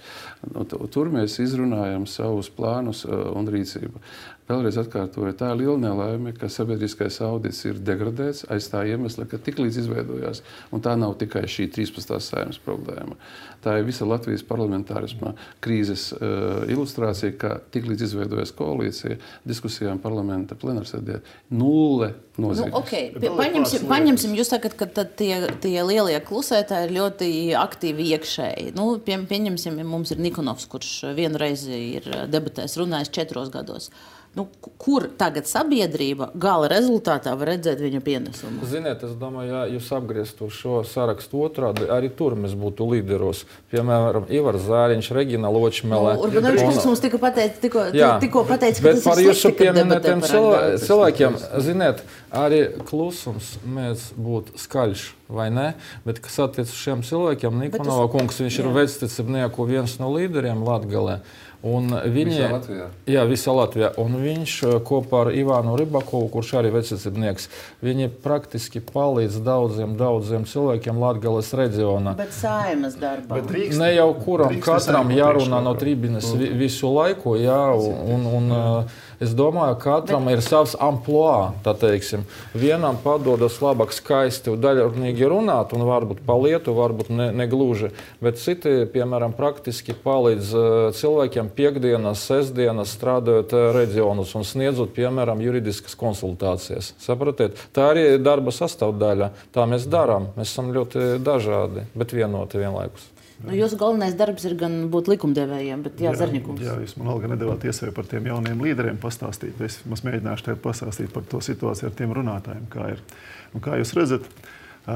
Tur mēs izrunājam savus plānus un rīcību. Vēlreiz atkārtoju, tā ir liela nelaime, ka sabiedriskais audits ir degradēts aiz tā iemesla, ka tiklīdz izveidojās, un tā nav tikai šī trīspadsmitās Saeimas problēma. Tā ir visa Latvijas parlamentārisma krīzes uh, ilustrācija, ka tiklīdz izveidojās koalīcija, diskusijām parlamenta plenārsēdē nulle nozīmes. Nu, okay. Paņemsim, paņemsim, jūs sakat, ka tad tie, tie lielie klusētāji ir ļoti aktīvi iekšēji. Nu, pie, pieņemsim, mums ir Nikonovs, kurš vienreiz ir debatēs runājis četros gados. Nu, kur tagad sabiedrība gala rezultātā var redzēt viņa pienesumu? Ziniet, es domāju, ja jūs apgrieztu šo sarakstu otrādi, arī tur mēs būtu līderos. Piemēram, Ivars Zāriņš, Regina Ločmele. Nu, Urbanovičs kungs mums tikko pateica, tikko, tikko pateica, ka bet tas ir slikti, ka debatē par cilvē, cilvēkiem, ziniet, arī klusums mēs būtu skaļš, vai ne? Bet, kas attiec uz šiem cilvēkiem, Nikonova tas... kungs, viņš jā. ir vecticībnieku viens no līderiem Latgalē. Un viņi, visā Latvijā. Jā, visā Latvijā. Un viņš kopā ar Ivānu Ribakovu, kurš arī vecicībnieks, viņi praktiski palīdz daudziem, daudziem cilvēkiem Latgales reģionā. Bet Saeimas darbā. Bet drīkst, ne jau kuram katram jārunā no tribīnes vi, visu laiku, jā, un, un, un es domāju, katram bet... ir savs amploā, tā teiksim. Vienam padodas labāk skaisti un daļrunīgi runāt, un varbūt pa lietu, varbūt ne, ne gluži, bet citi, piemēram, praktiski palīdz cilvēkiem piekdienas, sestdienas strādājot reģionus un sniedzot, piemēram, juridiskas konsultācijas. Sapratiet? Tā arī ir darba sastāvdaļa. Tā mēs darām. Mēs esam ļoti dažādi, bet vienoti vienlaikus. Nu, jūsu galvenais darbs ir gan būt likumdevējiem, bet jā, Zarņikums. Jā, jūs man Olga nedavāt iespēju par tiem jauniem līderiem pastāstīt. Es mēģināšu tev pastāstīt par to situāciju ar tiem runātājiem, kā ir. Un kā jūs redzat,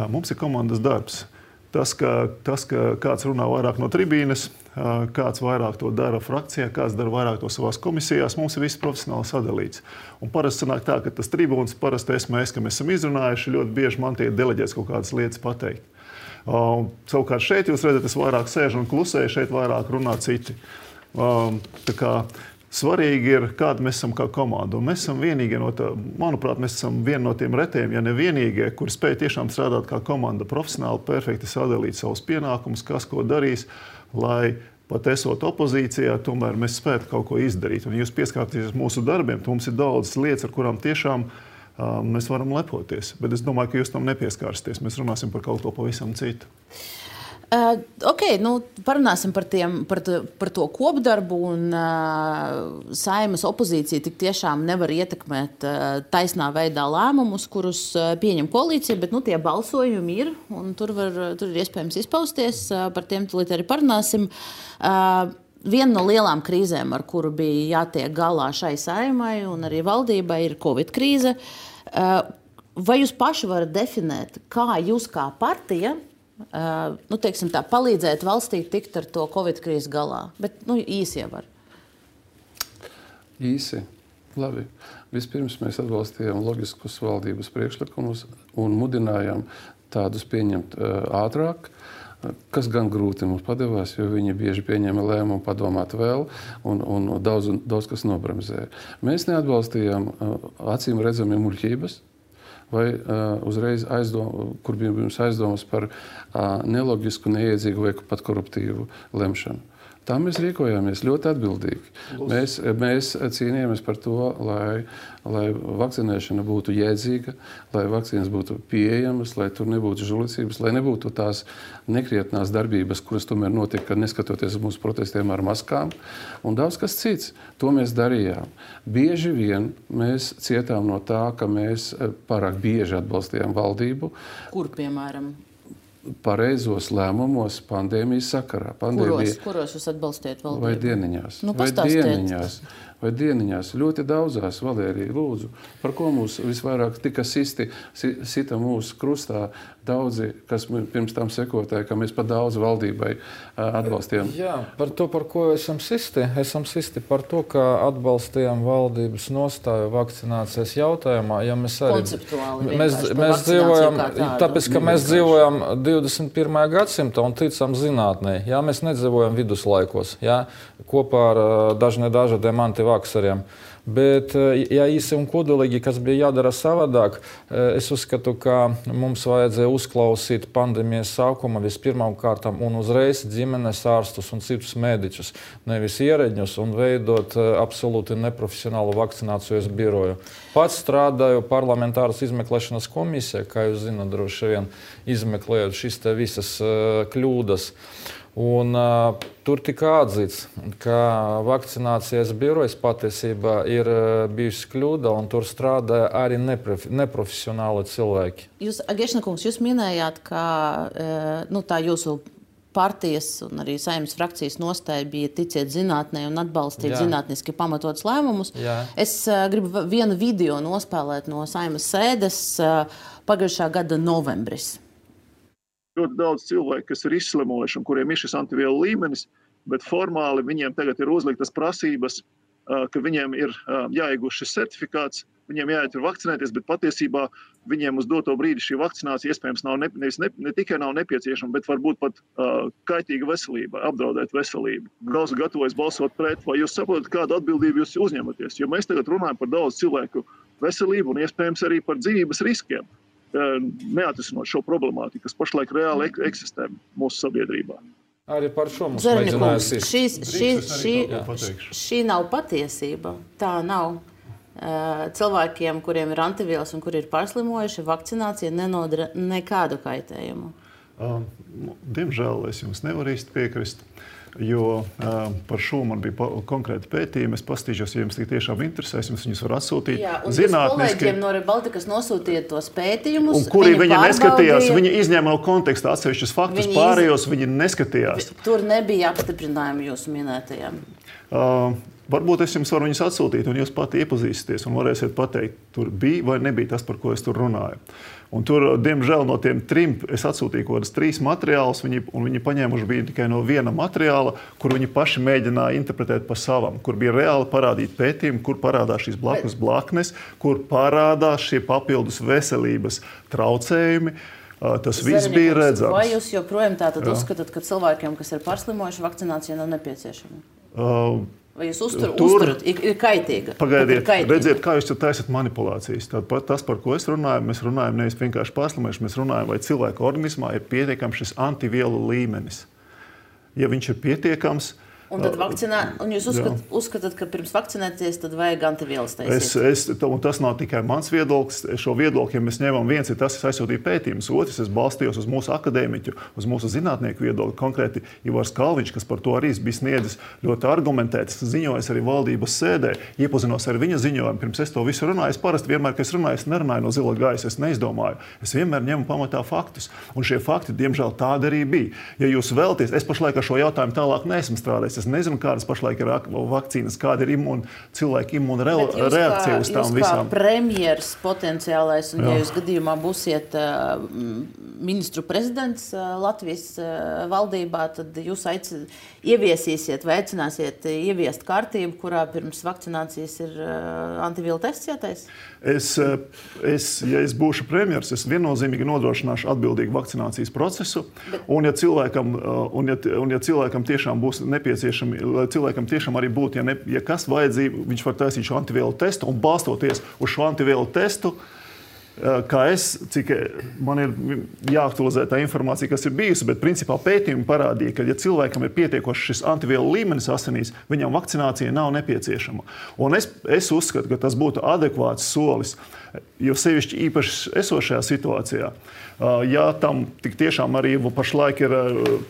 mums ir komandas darbs. Tas, ka, tas, ka kāds runā vairāk no tribīnes, kāds vairāk to dara frakcijā, kāds dara vairāk to savās komisijās, mums ir viss profesionāli sadalīts. Un parasti sanāk tā, ka tas tribūns, parasti esmu es, ka mēs esam izrunājuši, ļoti bieži man tiek deleģēts kaut kādas lietas pateikt. Um, savukārt šeit jūs redzat, es vairāk sēžu un klusēju, šeit vairāk runā citi. Um, tā kā svarīgi ir, kāda mēs esam kā komanda. Un mēs esam vienīgie no tā, manuprāt, mēs esam vieni no tiem retiem, ja ne vienīgie, kuri spēj tiešām strādāt kā komanda profesionāli, perfekti sadalīt savus pienākumus, kas ko darīs, lai pat esot opozīcijā, tomēr mēs spētu kaut ko izdarīt. Un jūs pieskārties mūsu darbiem, mums ir daudz lietas, ar kurām tiešām Um, mēs varam lepoties, bet es domāju, ka jūs tam nepieskārsties. Mēs runāsim par kaut ko pavisam citu. Uh, ok, nu, parunāsim par, tiem, par, to, par to kopdarbu. Un, uh, Saeimas opozīcija tik tiešām nevar ietekmēt uh, taisnā veidā lēmumus, kurus uh, pieņem koalīcija, bet nu, tie balsojumi ir, un tur, var, tur ir iespējams izpausties. Uh, par tiem tulīt arī parunāsim. Uh, Viena no lielām krīzēm, ar kuru bija jātiek galā šai Saeimai un arī valdībai, ir Covid krīze. Vai jūs paši varat definēt, kā jūs kā partija nu, teiksim tā, palīdzēt valstī tikt ar to Covid krīzi galā? Bet nu, īsi jau var. Īsi. Labi. Vispirms mēs atbalstījām loģiskus valdības priekšlikumus un mudinājām tādus pieņemt ātrāk, kas gan grūti mums padevās, jo viņi bieži pieņēma lēmumu padomāt vēl un, un daudz, daudz kas nobremzēja. Mēs neatbalstījām acīm redzami muļķības vai uh, uzreiz aizdom, kur bija mums aizdomas par uh, neloģisku, neiedzīgu vai pat koruptīvu lemšanu. Tā mēs rīkojāmies ļoti atbildīgi. Mēs, mēs cīnījāmies par to, lai, lai vakcinēšana būtu jēdzīga, lai vakcīnas būtu pieejamas, lai tur nebūtu žulicības, lai nebūtu tās nekrietnās darbības, kuras tomēr notika, neskatoties uz mūsu protestiem ar maskām, un daudz kas cits. To mēs darījām. Bieži vien mēs cietām no tā, ka mēs pārāk bieži atbalstījām valdību. Kur, piemēram? pareizos lēmumos pandēmijas sakarā. Pandēmija, kuros, kuros jūs atbalstiet valdību? Vai dieniņās? Nu, vai dieniņās? Vai dieniņās? Ļoti daudzās, Valērija, lūdzu, par ko mūs visvairāk tika sisti, sita mūsu krustā daudzi, kas pirms tam sekotāji, ka mēs pa daudz valdībai atbalstījām. Jā, par to, par ko esam sisti. Esam sisti par to, ka atbalstījām valdības nostāju vakcinācijas jautājumā. Ja mēs arī, konceptuāli mēs, mēs dzīvojam, tāpēc, ka mēs dzīvojam divdesmit pirmajā gadsimtā un ticam zinātnē. Jā, mēs nedzīvojam viduslaikos, jā, kopā ar dažne dažādiem antivakseriem. Bet, ja īsi un kodolīgi, kas bija jādara savādāk, es uzskatu, ka mums vajadzēja uzklausīt pandēmijas sākuma vispirmām kārtām un uzreiz ģimenes ārstus un citus mediķus, nevis ierēģņus, un veidot absolūti neprofesionālu vakcinācijas biroju. Pats strādāju parlamentāras izmeklēšanas komisijā, kā jūs zināt, droši vien izmeklējot šīs te visas kļūdas. Un, uh, tur tika atzīts, ka vakcinācijas birojas patiesībā ir uh, bijusi kļūda, un tur strādāja arī neprof neprofesionāli cilvēki. Jūs, Agešana kungs, jūs minējāt, ka uh, nu, tā jūsu partijas un arī Saeimas frakcijas nostāja bija ticiet zinātnē un atbalstīt Jā. Zinātniski pamatotus lēmumus. Jā. Es uh, gribu vienu video nospēlēt no Saeimas sēdes uh, pagājušā gada novembris. Ļoti daudz cilvēku, kas ir izslimojuši un kuriem ir šis antivielu līmenis, bet formāli viņiem tagad ir uzliktas prasības, ka viņiem ir jāiegūst šis certifikāts, viņiem jāiet ir vakcinēties, bet patiesībā viņiem uz doto brīdi šī vakcinācija iespējams nav ne, ne, ne tikai nav nepieciešama, bet varbūt pat uh, kaitīga veselība, apdraudēt veselību. Daudz gatavojas balsot pret, vai jūs saprotat, kādu atbildību jūs uzņematies? Jo mēs tagad runājam par daudz cilvēku veselību un iespējams arī par dzīvības riskiem. Neatrisinot šo problemātiku, kas pašlaik reāli eksistē mūsu sabiedrībā. Arī par šo mums mēģinājās ir. Šī, šī, šī, šī nav patiesība. Tā nav. Cilvēkiem, kuriem ir antivielas un kuri ir pārslimojuši, vakcinācija nenodara nekādu kaitējumu. Diemžēl es jums nevaru īsti piekrist. Jo uh, par šo man bija konkrēti pētījumi. Es paskatīšos, ja jums tiešām interesēs, jums viņus var atsūtīt. Jā, un zinātniski... kolēģiem no Rebaltikas nosūtīja tos pētījumus. Un kuri viņi, viņi neskatījās, viņi izņēma no konteksta atsevišķus faktus, viņi pārējos iz... viņi neskatījās. Tur nebija apstiprinājumi jūsu minētajiem. Uh, varbūt es jums varu viņus atsūtīt, un jūs pati iepazīsties un varēsiet pateikt, tur bija vai nebija tas, par ko es tur runāju. Un tur, diemžēl, no tiem trim es atsūtīju kaut kādas trīs materiālus, viņi, un viņi paņēmuši bija tikai no viena materiāla, kur viņi paši mēģināja interpretēt pa savam, kur bija reāli parādīt pētījumi, kur parādās šīs blakus blaknes, kur parādās šie papildus veselības traucējumi. Tas viss bija redzams. Vai jūs joprojām tātad uzskatāt, ka cilvēkiem, kas ir pārslimojuši, vakcinācija nav nepieciešama? Uh, Vai jūs uztur, tur, uzturat, ir, ir kaitīga? Pagaidiet, ir kaitīga. Redziet, kā jūs taisat manipulācijas. Tad, tas, par ko es runāju, mēs runājam nevis vienkārši pārslimojuši, mēs runājam, vai cilvēka organismā ir pietiekams šis antivielu līmenis. Ja viņš ir pietiekams, Un, tad vakcinā, un jūs uzskat, uzskatāt, ka pirms vakcinēties, tad vajag antivielas taisīt? Es, es, un tas nav tikai mans viedoklis. Šo viedokli, ja mēs ņemam, viens ir tas, kas aizsūtīja pētījumus, otrs es balstījos uz mūsu akadēmiķu, uz mūsu zinātnieku viedokli. Konkrēti Ivars Kalviņš, kas par to arī bija sniedzis ļoti argumentēts, ziņojas arī valdības sēdē, iepazinos ar viņa ziņojumu. Pirms es to visu runāju, es parasti vienmēr, kad es runāju, es nerunāju no zila gaisa, es neizdomāju. Es vienmēr ņemu pamatā faktus. Un šie fakti, diemžēl, tādi arī bija. Ja jūs vēlaties, es pašlaik ar šo jautājumu tālāk neesmu strādājis. Es nezinu, kādas pašlaik ir vakcīnas, kāda ir imūna, cilvēka imūna reakcija uz tām visām. Jūs kā premjers potenciālais, un Jā. ja jūs gadījumā būsiet uh, ministru prezidents uh, Latvijas uh, valdībā, tad jūs aici, ieviesīsiet vai aicināsiet ieviest kārtību, kurā pirms vakcinācijas ir uh, antivielu tests jātais? Es, es, ja es būšu premjers, es viennozīmīgi nodrošināšu atbildīgu vakcinācijas procesu, Bet... un, ja cilvēkam, un, ja, un ja cilvēkam tiešām būs nepieciešami, lai cilvēkam tiešām arī būtu, ja, ne, ja kas vajadzība, viņš var taisīt šo antivielu testu, un balstoties uz šo antivielu testu, kā es, cik man ir jāaktualizē tā informācija, kas ir bijusi, bet principā pētījumi parādīja, ka ja cilvēkam ir pietiekoši šis antivielu līmenis asinīs, viņam vakcinācija nav nepieciešama. Un es, es uzskatu, ka tas būtu adekvāts solis, jo sevišķi īpaši esošajā situācijā. Ja tam tik tiešām arī pašlaik ir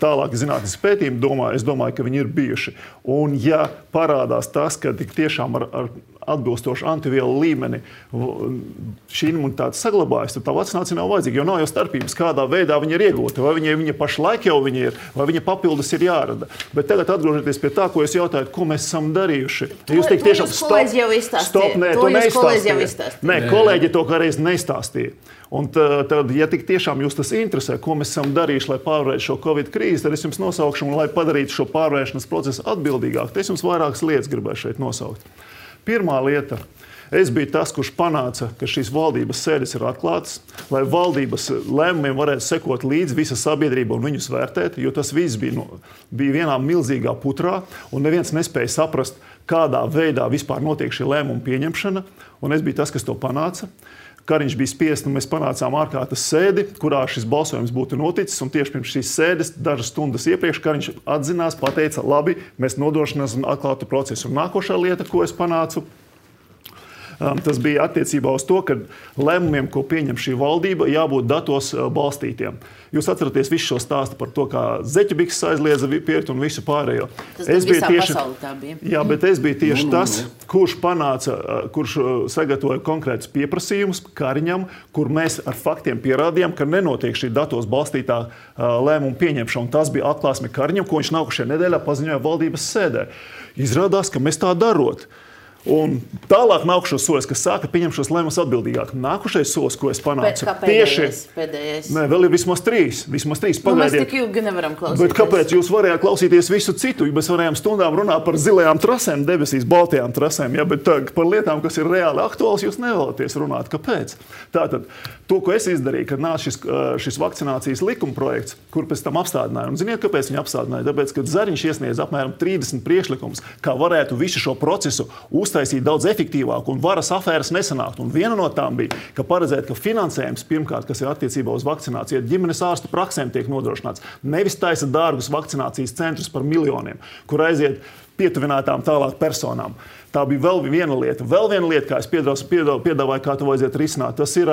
tālāk zinātniski pētījumi, domā, es domāju, ka viņi ir bijuši. Un ja parādās tas, ka tik tiešām ar, ar atbilstoši antivielu līmeni šī imunitāte saglabājas, tad tā vakcinācija nav vajadzīga, jo nav jau starpības, kādā veidā viņa ir iegūta, vai viņa, viņa pašlaik jau viņa ir, vai viņa papildus ir jārada. Bet tagad atgriežoties pie tā, ko jūs jautājat, ko mēs esam darījuši. To, jūs teikt, tiešām, to kolēģi jau izstāstīja. Stop, nē, to to jūs kolēģi jau izstāstīja. Nē, kolēģi to kādreiz neizstāstīja. Un tad, ja tik tiešām jūs tas interesē, ko mēs esam darījuši, lai pārvarētu šo Covid krīzi, tad es jums nosaukšu, un lai padarītu šo pārvēršanas procesu atbildīgāk, tad es jums vairākas lietas gribēju šeit nosaukt. Pirmā lieta. Es biju tas, kurš panāca, ka šīs valdības sēdes ir atklātas, lai valdības lēmumiem varētu sekot līdzi visa sabiedrība un viņus vērtēt, jo tas viss bija, no, bija vienā milzīgā putrā, un neviens nespēja saprast, kādā veidā vispār notiek šī lēmuma pieņemšana, un es biju tas, kas to panāca. Kariņš bija spiests, un mēs panācām ārkārtas sēdi, kurā šis balsojums būtu noticis, un tieši pirms šīs sēdes, dažas stundas iepriekš, Kariņš atzinās, pateica, labi, mēs nodrošināsim atklātu procesu. Un nākošā lieta, ko es panācu, tas bija attiecībā uz to, ka lēmumiem, ko pieņem šī valdība, jābūt datos balstītiem. Jūs atceraties visu šo stāstu par to, kā zeķebiks aizliedza piert un visu pārējo. Tas es visā tieši, pasaulē tā bija. Jā, bet es biju tieši tas, kurš panāca, kurš sagatavoja konkrētus pieprasījumus Kariņam, kur mēs ar faktiem pierādījām, ka nenotiek šī datos balstītā lēmuma pieņemšana. Un tas bija atklāsme Kariņam, ko viņš nākušajā nedēļā paziņoja valdības sēdē. Izrādās, ka mēs tā darot. Un tālāk nākušos solis, kas sāka pieņemt šos lēmumus atbildīgāk. Nākušais solis, ko es panācu, kā pēdējais, pēdējais. Nē, vēl ir vismaz trīs. Vismaz trīs. Nu, mēs tik ilgi nevaram klausīties. Bet kāpēc jūs varējāt klausīties visu citu? Mēs varējām stundām runāt par zilajām trasēm, debesīs, baltajām trasēm, ja, bet tā, par lietām, kas ir reāli aktuāls, jūs nevēlaties runāt. Kāpēc? Tātad, to, ko es izdarīju, kad nāca šis, šis vakcinācijas likuma projekts, kur pēc tam apstādināja. Un ziniet, kāpēc viņi apstādināja? Tāpēc, ka Zariņš iesniedz apmēram trīsdesmit priekšlikumus, kā varētu visu šo procesu uztaisīt daudz efektīvāk un varas afēras nesanākt. Un viena no tām bija, ka paredzēt, ka finansējums pirmkārt, kas ir attiecībā uz vakcināciju, ģimenes ārstu praksēm tiek nodrošināts. Nevis taisa dārgus vakcinācijas centrus par miljoniem, kur aiziet pietuvinātām tālāk personām. Tā bija vēl viena lieta. Vēl viena lieta, kā es piedāvāju, kā to vajadzētu risināt, tas ir,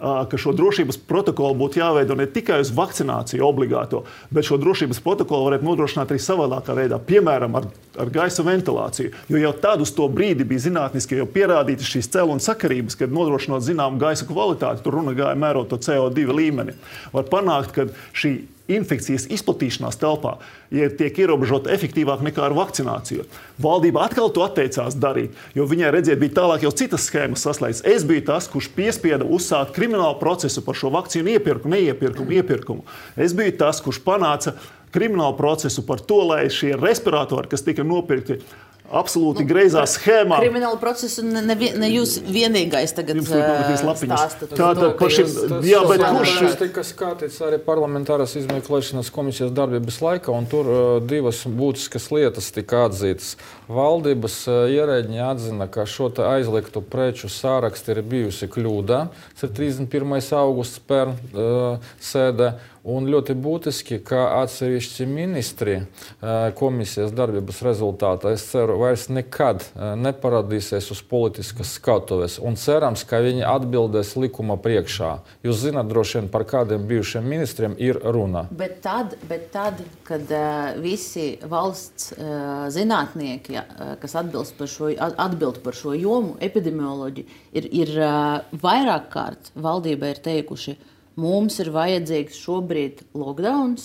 ka šo drošības protokolu būtu jāveido ne tikai uz vakcināciju obligāto, bet šo drošības protokolu varētu nodrošināt arī savādākā veidā, piemēram, ar, ar gaisa ventilāciju. Jo jau tad uz to brīdi bija zinātniski jau pierādītas šīs cēlonu sakarības, kad nodrošinot zināmu gaisa kvalitāti, tur runa gāja mērot to C O divi līmeni. Var panākt, ka šī infekcijas izplatīšanās telpā ja tiek ierobežota efektīvāk nekā ar vakcināciju. Valdība atkal to atteicās darīt, jo viņai redziet, bija tālāk jau citas schēmas saslēgts. Es biju tas, kurš piespieda uzsākt kriminālu procesu par šo vakcīnu iepirkumu, neiepirkumu, iepirkumu. Es biju tas, kurš panāca kriminālu procesu par to, lai šie respiratori, kas tika nopirkti absolūti nu, greizā schēmā. Kriminālu procesu ne, ne, ne jūs vienīgais tagad stāstat. Tātad par šim, jā, bet kurš... Tas tika skatīts arī parlamentāras izmeklēšanas komisijas darbības laikā, un tur uh, divas būtiskas lietas tika atzītas. Valdības uh, ierēģiņi atzina, ka šo te aizliegtu preču sāraksti ir bijusi kļūda. Tas ir trīsdesmit pirmais augusts pērn uh, sēdē. Un ļoti būtiski, ka atsevišķi ministri komisijas darbības rezultātā, es ceru, vairs nekad neparādīsies uz politiskas skatuves. Un cerams, ka viņi atbildēs likuma priekšā. Jūs zināt droši vien, par kādiem bijušiem ministriem ir runa. Bet tad, bet tad kad uh, visi valsts uh, zinātnieki, uh, kas atbilst par šo, atbild par šo jomu, epidemioloģi, ir, ir uh, vairāk kārt valdībai ir teikuši, mums ir vajadzīgs šobrīd lockdowns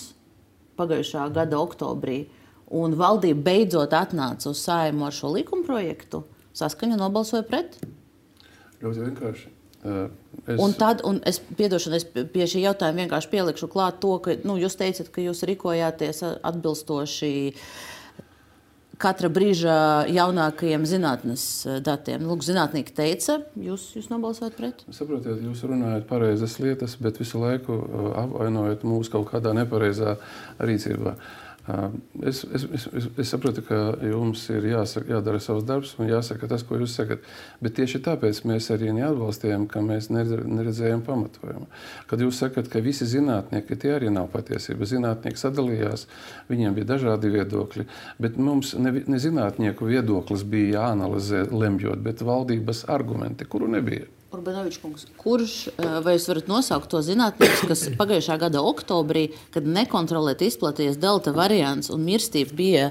pagājušā gada oktobrī, un valdība beidzot atnāca uz Saeimu ar šo likumprojektu, Saskaņa nobalsoja pret. Ļoti vienkārši. Uh, es... Un tad, un es, piedošanu, es pie šī jautājuma vienkārši pielikšu klāt to, ka nu, jūs teicat, ka jūs rīkojāties atbilstoši katra brīža jaunākajiem zinātnes datiem. Lūk, zinātnieki teica, jūs, jūs nobalsojat pret? Saprotiet, jūs runājat pareizas lietas, bet visu laiku apvainojat mūs kaut kādā nepareizā rīcībā. Es, es, es, es saprotu, ka jums ir jāsaka, jādara savs darbs un jāsaka tas, ko jūs sakat. Bet tieši tāpēc mēs arī neatbalstījām, ka mēs neredzējām pamatojumu. Kad jūs sakat, ka visi zinātnieki, tie arī nav patiesība. Zinātnieki sadalījās, viņiem bija dažādi viedokļi, bet mums ne, ne zinātnieku viedoklis bija jāanalizē lemjot, bet valdības argumenti, kuru nebija. Urbanovičs kungs, kurš, vai jūs varat nosaukt to zinātniekus, kas pagājušā gada oktobrī, kad nekontrolēti izplatījies delta variants un mirstība bija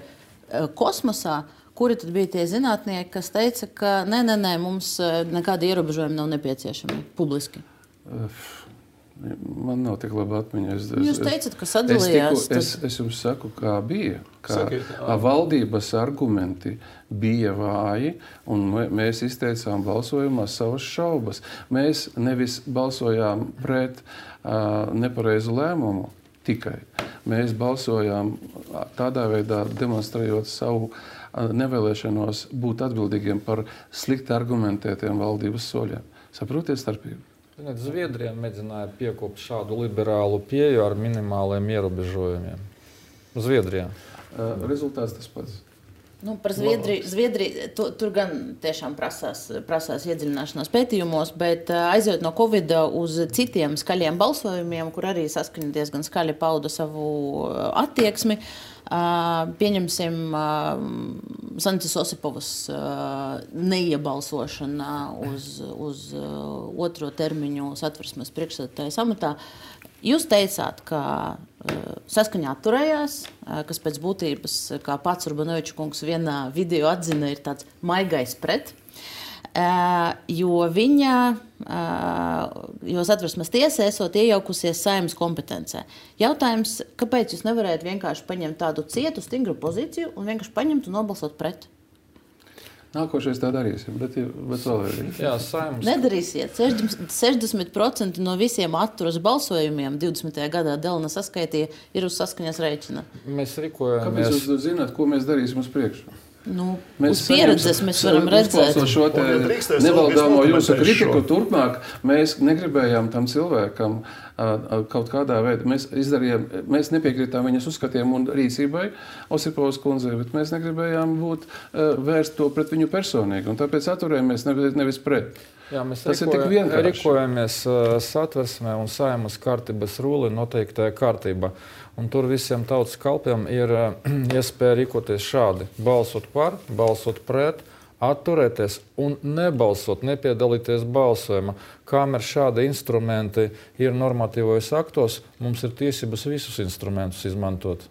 kosmosā, kuri tad bija tie zinātnieki, kas teica, ka nē, nē, nē, mums nekāda ierobežojuma nav nepieciešama publiski? Man nav tik laba atmiņa. Es, Jūs teicat, ka sadalījās. Es, tiku, es, es jums saku, kā bija. Kā valdības argumenti bija vāji, un mēs izteicām balsojumā savas šaubas. Mēs nevis balsojām pret uh, nepareizu lēmumu tikai. Mēs balsojām tādā veidā, demonstrējot savu uh, nevēlēšanos būt atbildīgiem par slikti argumentētiem valdības soļiem. Saprotiet starpību? Zviedrija mēģināja piekopt šādu liberālu pieeju ar minimāliem ierobežojumiem. Zviedrijā. Uh, rezultāts tas pats. Nu, par Zviedriju, Zviedriju tu, tur gan tiešām prasās, prasās iedziļināšanās pētījumos, bet aizjot no Covida uz citiem skaļiem balsojumiem, kur arī Saskaņa diezgan skaļi pauda savu attieksmi, pieņemsim Santis Osipovas neiebalsošana uz, uz otro termiņu Satversmes priekšsēdētājas amatā. Jūs teicāt, ka Saskaņa atturējās, kas pēc būtības, kā pats Urbanoviča kungs vienā video atzina, ir tāds maigais pret, jo viņa, jo Satversmes tiesa esot iejaukusies Saeimas kompetencē. Jautājums, kāpēc jūs nevarējat vienkārši paņemt tādu cietu, stingru pozīciju un vienkārši paņemt un nobalsot pret? Nākošais tā darīsim, bet, bet vēl ir. Jā, Saeimas. Nedarīsiet. sešdesmit procenti no visiem atturas balsojumiem divdesmitajā gadā Delna saskaitīja ir uz Saskaņas rēķina. Mēs rīkojamies. Kāpēc jūs zināt, ko mēs darīsim uz priekšu? Nu, mēs uz pieredzes mēs varam redzēt. Šo te nevaldāmo jūsu kritiku turpmāk, mēs negribējām tam cilvēkam uh, kaut kādā veidā. Mēs izdarījām, mēs nepiekritām viņas uzskatiem un rīcībai Osipovas kundzei, bet mēs negribējām būt uh, vērst to pret viņu personīgi. Un tāpēc atturējāmies nevis, nevis pret. Jā, mēs Tas rīkoja, ir tik vienkārši. Rīkojamies uh, Satversmē un Saeimas kārtības rūli noteiktajā kārtībā. Un tur visiem tautas kalpiem ir uh, iespēja rīkoties šādi. Balsot par, balsot pret, atturēties un nebalsot, nepiedalīties balsojumā. Kamēr šādi instrumenti ir normatīvos aktos, mums ir tiesības visus instrumentus izmantot.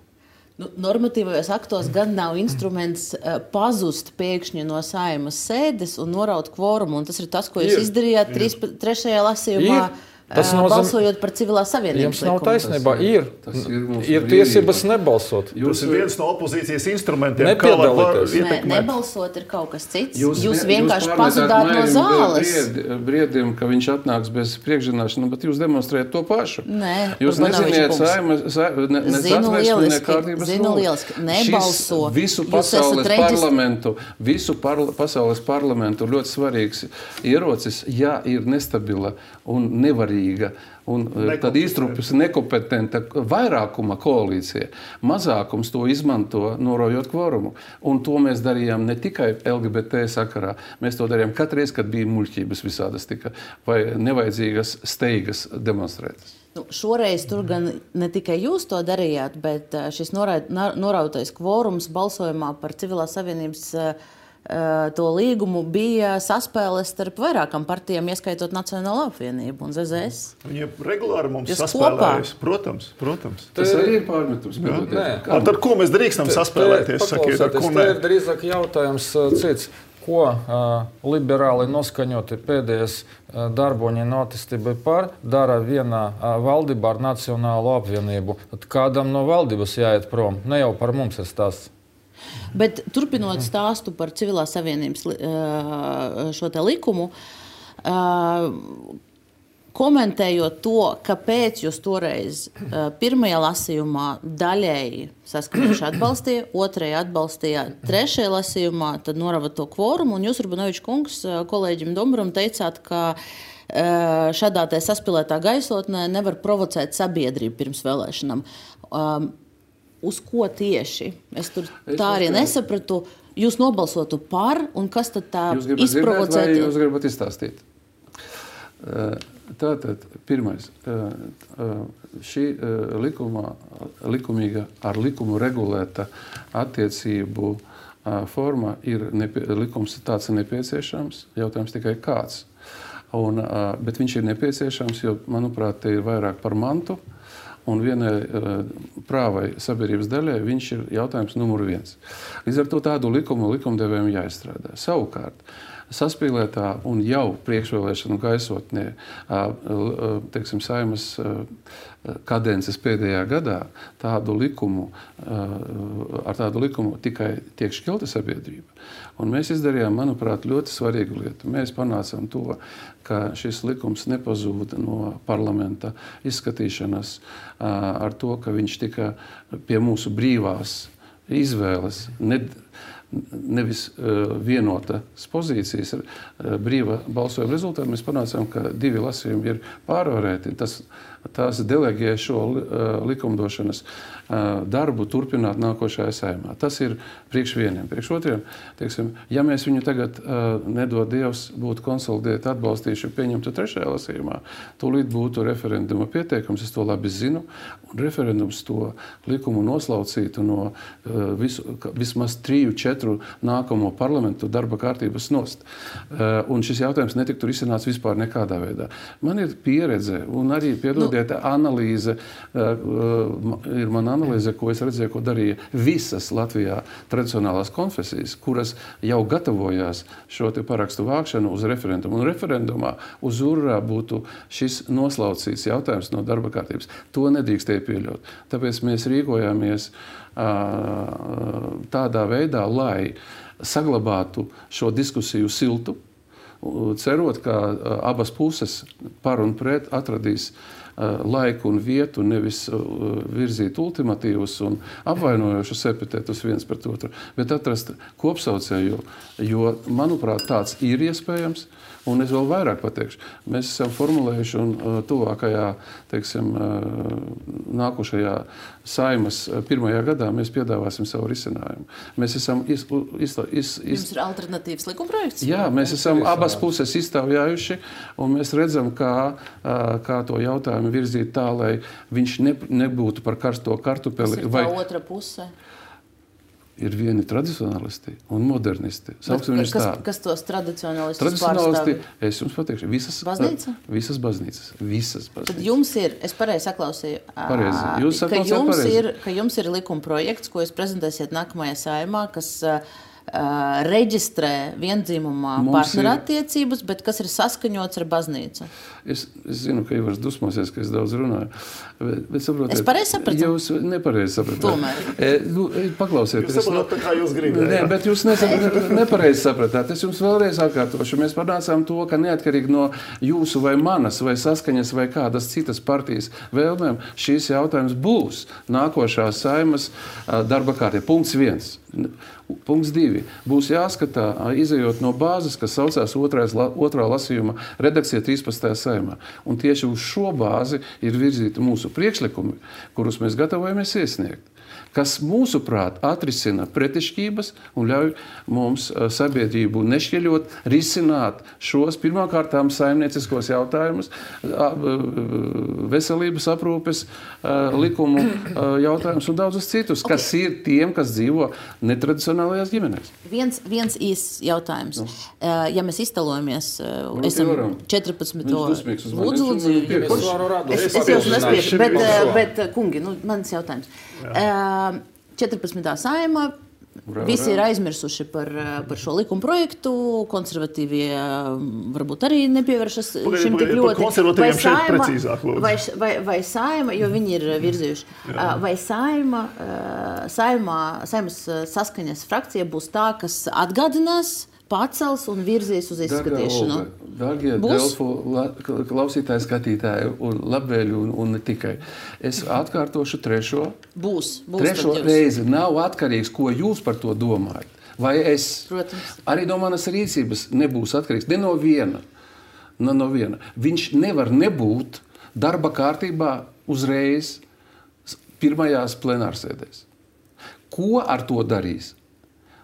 Nu, normatīvajos aktos gan nav instruments uh, pazust pēkšņi no Saeimas sēdes un noraut kvorumu. Un tas ir tas, ko jūs ir. izdarījāt trīs, trešajā lasījumā. Ir. Tas uh, nozīm... Balsojot par civilās savienības Jums nav likumu. taisnībā. Tas ir, ir, tas ir, ir tiesības nebalsot. Jūs ir viens no opozīcijas instrumentiem. Nepiedalīties. Nē, nebalsot ir kaut kas cits. Jūs, jūs ne, vienkārši jūs pazudāt no zāles. Briedi, briedim, ka viņš atnāks bez priekšzināšanas, bet jūs demonstrējat to pašu. Nē, jūs neziniet Saimas, ne, ne zinu lieliski, kārtības zinu lieliski. Nebalso. Šis visu pasaules parlamentu, visu parla, pasaules parlamentu ļoti svarīgs ierocis, ja ir nestabila un nevarīga. Un tad iztrupjas nekompetenta vairākuma koalīcija. Mazākums to izmanto, norojot kvorumu. Un to mēs darījām ne tikai L G B T sakarā. Mēs to darījām katreiz, kad bija muļķības visādas tika vai nevajadzīgas steigas demonstrētas. Nu, šoreiz tur gan ne tikai jūs to darījāt, bet šis norautais kvorums balsojumā par civilās savienības to līgumu bija saspēles starp vairākām partijām, ieskaitot Nacionālo apvienību un Z Z S. Viņi regulāri mums Jūs saspēlējas. Protams, protams. Tas arī ir pārmetums. Ar ko mēs drīkstam saspēlēties? Sakiet, ar ko nē? Tas ir drīzāk jautājums cits. Ko uh, liberāli noskaņoti pēdējais uh, darboņi notistībai par dara vienā uh, valdībā ar Nacionālo apvienību? Tad kādam no valdības jāiet prom? Ne jau par mums ir stāsts. Bet turpinot stāstu par civilās savienības šo te likumu, komentējot to, kāpēc jūs toreiz pirmajā lasījumā daļēji Saskaņoši atbalstīja, otrajā atbalstīja, trešajā lasījumā tad norava to kvorumu, un jūs, Urbanoviča kungs, kolēģim Domburam teicāt, ka šādā te saspilētā gaisotnē nevar provocēt sabiedrību pirms vēlēšanām. Uz ko tieši? Es tur tā arī nesapratu. Jūs nobalsotu par, un kas tad tā izprovocētu? Jūs gribat izstāstīt? Tātad, pirmais, šī likumā, likumīga, ar likumu regulēta attiecību forma ir, nepie, likums tāds ir nepieciešams, jautājums tikai kāds. Un, bet viņš ir nepieciešams, jo, manuprāt, te ir vairāk par mantu. un vienai prāvai sabiedrības daļai viņš ir jautājums numur viens. Līdz ar to tādu likumu likumdevējiem jāizstrādā. Savukārt, saspīlētā un jau priekšvēlēšanu gaisotnē, teiksim, Saeimas kadences pēdējā gadā tādu likumu, ar tādu likumu tikai tiek šķelta sabiedrība. Un mēs izdarījām, manuprāt, ļoti svarīgu lietu. Mēs panācām to, ka šis likums nepazūda no parlamenta izskatīšanas ar to, ka viņš tika pie mūsu brīvās izvēles, ne, nevis uh, vienotas pozīcijas, uh, brīva balsojuma rezultātā. Mēs panācām, ka divi lasījumi ir pārvarēti. Tas, tās deleģē šo uh, likumdošanas uh, darbu turpināt nākošajā Saeimā. Tas ir priekš vieniem. Priekš otriem, teiksim, ja mēs viņu tagad uh, nedod Dievs būtu konsolidēti atbalstījuši pieņemtu trešajā lasījumā, tūlīt būtu referenduma pieteikums, es to labi zinu, un referendums to likumu noslaucītu no uh, visu, vismaz triju, četru nākamo parlamentu darba kārtības nost. Uh, un šis jautājums netiktu risināts vispār nekādā veidā. Man ir pieredze un arī, piedodiet, nu, analīze, uh, uh, ir mana analīze, ko es redzēju, ko darīja visas Latvijā tradicionālās konfesijas, kuras jau gatavojās šo te parakstu vākšanu uz referendumu. Un referendumā uz urā būtu šis noslaucīts jautājums no darba kārtības. To nedrīkstēja pieļaut. Tāpēc mēs rīkojāmies uh, tādā veidā, lai saglabātu šo diskusiju siltu, cerot, ka uh, abas puses par un pret atradīs uh, laiku un vietu, nevis uh, virzīt ultimatīvus un apvainojošus epitetus viens pret otru, bet atrast kopsaucēju, jo, manuprāt, tāds ir iespējams. Un es vēl vairāk pateikšu. Mēs esam formulējuši un uh, tuvākajā, teiksim, uh, nākošajā Saimas uh, pirmajā gadā mēs piedāvāsim savu risinājumu. Mēs esam iz, iz, iz, iz... Jums ir alternatīvs likumprojekts? Jā, mēs esam abas puses izstāvjājuši, un mēs redzam, kā, uh, kā to jautājumu virzīt tā, lai viņš ne, nebūtu par karsto kartupeli. Tas ir vai... tā otra puse? Ir vieni tradicionālisti un modernisti. Kas, kas tos tradicionālistus tradicionālisti, pārstāv? Es jums pateikšu, visas baznīca? Visas baznīcas. Visas baznīcas. Tad jums ir, es pareizi saklausīju, pareizi. Jūs ka, jums ir, ka jums ir likuma projekts, ko jūs prezentēsiet nākamajā Saeimā, kas uh, reģistrē viendzimumā partnerattiecības, bet kas ir saskaņots ar baznīcu. Es, es zinu, ka Ivars dusmosies, ka es daudz runāju. Bet, bet saprotiet, es pareizi sapratu? Jūs nepareizi sapratāt. Tomēr. E, nu, klausieties. Jūs saprotat, tā kā jūs gribējāt. Nē, bet jūs nesaprat, nepareizi sapratāt. Es jums vēlreiz atkārtošu. Mēs panācām to, ka neatkarīgi no jūsu vai manas, vai saskaņas, vai kādas citas partijas vēlmēm, šīs jautājums būs nākošā Saimas darba kārtībā. Punkts viens. Punkts divi. Būs jāskatā, izejot no bāzes, kas saucās otrais, otrā lasījuma redakcija trīspadsmitajā Saeimā. Un tieši uz šo bāzi ir virzīti mūsu priekšlikumi, kurus mēs gatavojamies iesniegt, kas mūsuprāt atrisina pretišķības un ļauj mums sabiedrību nešķeļot, risināt šos pirmkārtām saimnieciskos jautājumus, veselības aprūpes likumu jautājumus un daudzus citus, okay, kas ir tiem, kas dzīvo netradicionālajās ģimenēs. Viens, viens īsts jautājums. No. Ja mēs iztalojamies, esam četrpadsmito Lūdzu, lūdzu. Es, es jau nespiešu, bet, bet, kungi, nu, mans jautājums. Jā. četrpadsmitā Saeimā visi ir aizmirsuši par, par šo likuma projektu, konservatīvie varbūt arī nepievēršas šim tik ļoti. Konservatīviem šeit precīzāk, lūdzu. Vai, vai, vai Saeima, jo viņi ir virzījuši, Jā. vai Saeima, Saeimā, Saimas saskaņas frakcija būs tā, kas atgādinās, pacels un virzīs uz izskatīšanu. Dārgie Delfu klausītāji, skatītāji un labvēļi un, un ne tikai. Es atkārtošu trešo. Būs. būs trešo reizi. Nav atkarīgs, ko jūs par to domājat. Vai es. Protams. Arī no manas rīcības nebūs atkarīgs. Ne no viena. Ne no viena. Viņš nevar nebūt darba kārtībā uzreiz pirmajās plenārsēdēs. Ko ar to darīs?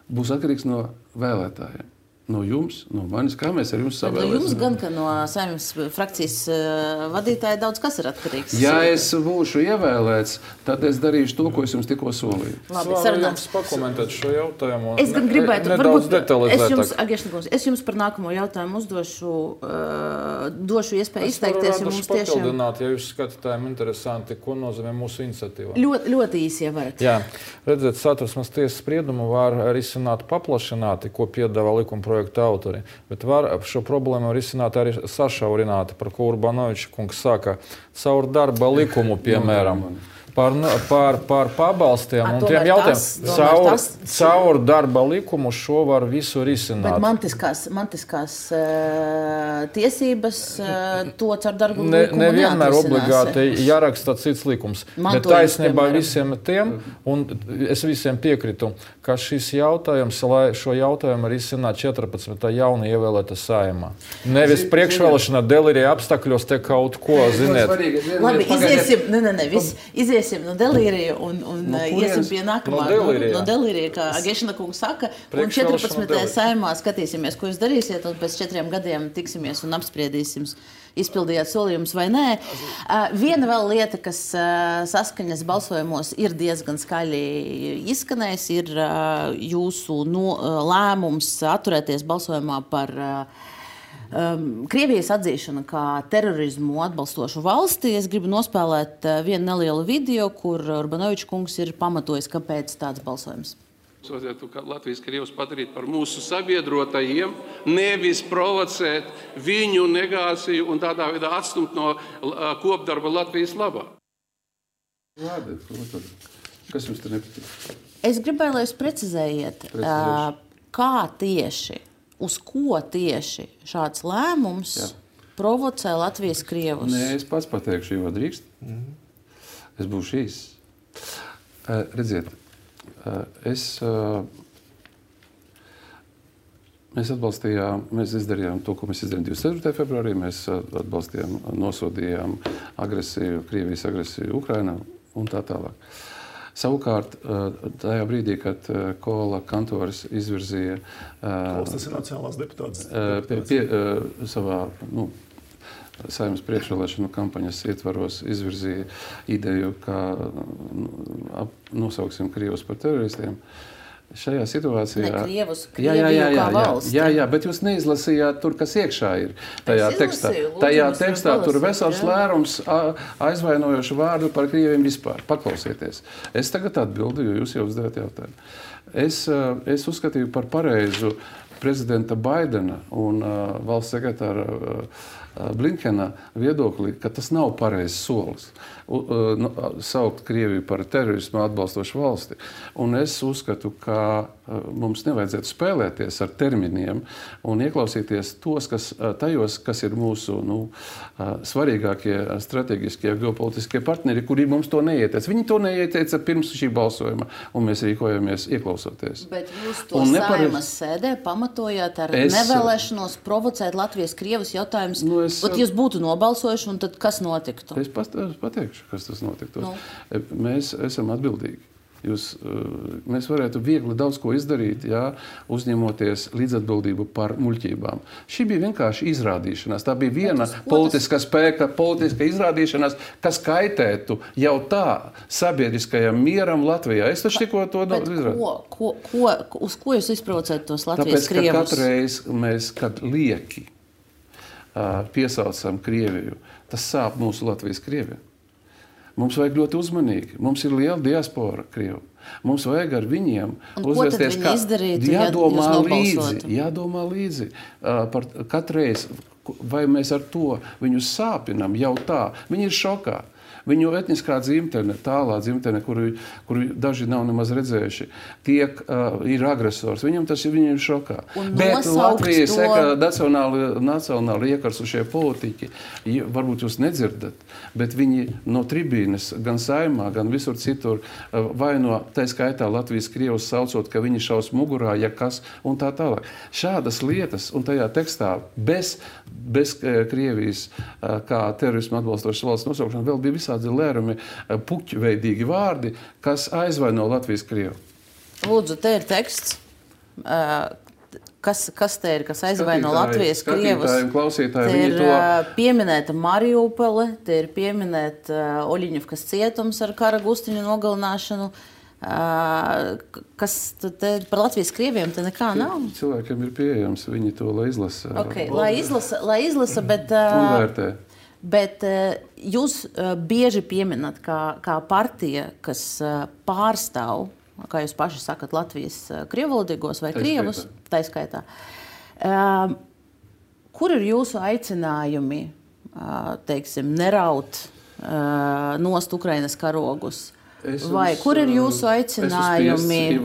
Būs atkarīgs no vēlētājiem. No jums, no manis, kā mēs ar jums savēlēsim? No jums gan, ka no Saeimas frakcijas uh, vadītāja daudz kas ir atkarīgs. Ja es būšu ievēlēts, tad es darīšu to, ko es jums tikko solīju. Labi, sarunāts. Pakomentēt šo jautājumu. Es gan gribētu, ne, varbūt, es jums, Agešnikums, es jums par nākamo jautājumu uzdošu, uh, došu iespēju izteikties. Es varu papildināt, tiešām... ja jūs skatītājiem interesanti, ko nozīmē mūsu iniciatīva. Ļoti, ļoti īsi, ja varat. Jā, redziet, Satversmes tiesas spriedumu var risināt paplašināti, ko piedāvā likuma projekta autori, bet var šo problēmu risināt arī sašaurināti, par ko Urbanovičs kungs saka, caur darba likumu, piemēram. Par, par, par pabalstiem un tiem jautājumiem. Caur, caur darba likumu šo var visu risināt. Bet mantiskās, mantiskās uh, tiesības uh, to caur darba ne, likumu nevienmēr obligāti jāraksta cits likums. Mantojums, bet taisnībā piemēram. Visiem tiem, un es visiem piekritu, ka šis jautājums, lai šo jautājumu risinātu četrpadsmitā jauni ievēlēta Saeimā. Nevis priekšvēlēšana delīrija apstākļos te kaut ko, ziniet. Labi, iziesim, ne, ne, ne, viss, iziesim no delīrija un, un no iesim pie nākamā. No delīrija. No, no delīrija, kā Agešana kungs saka, un četrpadsmitajā Saeimā skatīsimies, ko jūs darīsiet, un pēc četriem gadiem tiksimies un apspriedīsim, izpildījāt solījumus vai nē. Uh, viena vēl lieta, kas uh, saskaņas balsojumos ir diezgan skaļi izskanējis, ir uh, jūsu no, uh, lēmums atturēties balsojumā par uh, Um, Krievijas atzīšana kā terorismu atbalstošu valsti. Es gribu nospēlēt uh, vienu nelielu video, kur Urbanovičs kungs ir pamatojis, kāpēc tāds balsojums. Latvijas Krievus padarīt par mūsu sabiedrotajiem, nevis provocēt viņu negāciju un tādā veidā atstumt no uh, kopdarba Latvijas labā. Labi, kas jums te nepatīk? Es gribēju, lai jūs precizējiet, uh, kā tieši, uz ko tieši šāds lēmums Jā. Provocē Latvijas Krievus? Nē, es pats pateikšu, jo drīkst. Mm. Es būšu īs. Uh, redziet, uh, es, uh, mēs atbalstījām, mēs izdarījām to, ko mēs izdarījām divdesmit ceturtajā februārī. Mēs atbalstījām, nosodījām agresiju, Krievijas agresiju Ukrainā un tā tālāk. Savukārt, tajā brīdī, kad Kola Kantoris izvirzīja Kols, tas ir nacionālās deputāts, pie, pie, savā nu, Saeimas priekšvēlēšanu kampaņas ietvaros izvirzīja ideju, kā nosauksim Krievus par teroristiem. Šajā situācijā... Ne Krievus, jā, jā, jā, jā, kā valsts. Jā, jā, bet jūs neizlasījāt tur, kas iekšā ir. Tajā es tekstā, izlasīju, lūdzu, tajā mēs tekstā varam tur palasīt, vesels jā. lērums aizvainojošu vārdu par Krieviem vispār. Paklausieties. Es tagad atbildu, jo jūs jau uzdevāt jautājumu. Es, es uzskatīju par pareizu prezidenta Baidena un uh, valsts sekretāra uh, Blinkena viedokli, ka tas nav pareizs solis. U, uh, nu, saukt Krieviju par terorismu atbalstošu valsti. Un es uzskatu, ka uh, mums nevajadzētu spēlēties ar terminiem un ieklausīties tos, kas, uh, tajos, kas ir mūsu nu, uh, svarīgākie strateģiskie geopolitiskie partneri, kuri mums to neieteica. Viņi to neieteica pirms šī balsojuma, un mēs rīkojamies ieklausoties. Bet jūs to nepare... Saimas sēdē pamatojāt ar es... nevēlēšanos provocēt Latvijas Krievus jautājumus. Nu, es... Bet jūs būtu nobalsojuši, un tad kas notiktu? Es pat, pateikšu, kas tas notiktu. Nu. Mēs esam atbildīgi. Jūs, mēs varētu viegli daudz ko izdarīt, jā, uzņemoties līdzatbildību par muļķībām. Šī bija vienkārši izrādīšanās. Tā bija viena politiska spēka, politiska izrādīšanās, kas kaitētu jau tā sabiedriskajam mieram Latvijā. Es taču tikko to izrādīju. Ko, ko, ko, uz ko jūs izprovocētu tos Latvijas Tāpēc, Krievus? Tāpēc, ka katreiz mēs, kad lieki uh, piesaucam Krieviju, tas sāp mūsu Latvijas Krieviju. Mums vajag ļoti uzmanīgi. Mums ir liela diaspora Krievu. Mums vajag ar viņiem un uzvesties, kā izdarītu, jādomā ja līdzi. Jādomā līdzi uh, par katreiz, vai mēs ar to viņus sāpinam jau tā. Viņi ir šokā. Viņu etniskā dzimtene, tālā dzimtene, kuru, kuru daži nav nemaz redzējuši, tiek, uh, ir agresors. Viņam tas ir viņiem šokā. Bet Latvijas to... nacionāli, nacionāli iekarsušie politiķi, varbūt jūs nedzirdat, bet viņi no tribīnes, gan Saeimā, gan visur citur, uh, vaino, tā skaitā Latvijas Krievus saucot, ka viņi šaus mugurā, ja kas, un tā tālāk. Šādas lietas, un tajā tekstā bez, bez Krievijas uh, kā terorismu atbalstošas valsts nosaukšana vēl bija visā lērumi, puķveidīgi vārdi, kas aizvaino Latvijas Krievu. Lūdzu, te ir teksts. kas, kas te ir, kas aizvaino Latvijas krievus. Skatītāji un klausītāji, te ir to... pieminēta Mariupole, te ir pieminēta uh, Oļiņivkas cietums ar kara gustiņu nogalināšanu. Uh, kas te par Latvijas krieviem te nekā nav? Cilvēkiem ir pieejams, viņi to lai izlasa. Okay, lai izlasa, lai izlasa, bet... Uh, un vērtē. Bet uh, jūs uh, bieži pieminat kā, kā partija, kas uh, pārstāv, kā jūs paši sakat, Latvijas uh, krievvalodīgos vai krievus, taiskaitā. Uh, kur ir jūsu aicinājumi, uh, teiksim, neraut uh, nost Ukrainas karogus? Es vai uz, kur ir jūsu aicinājumi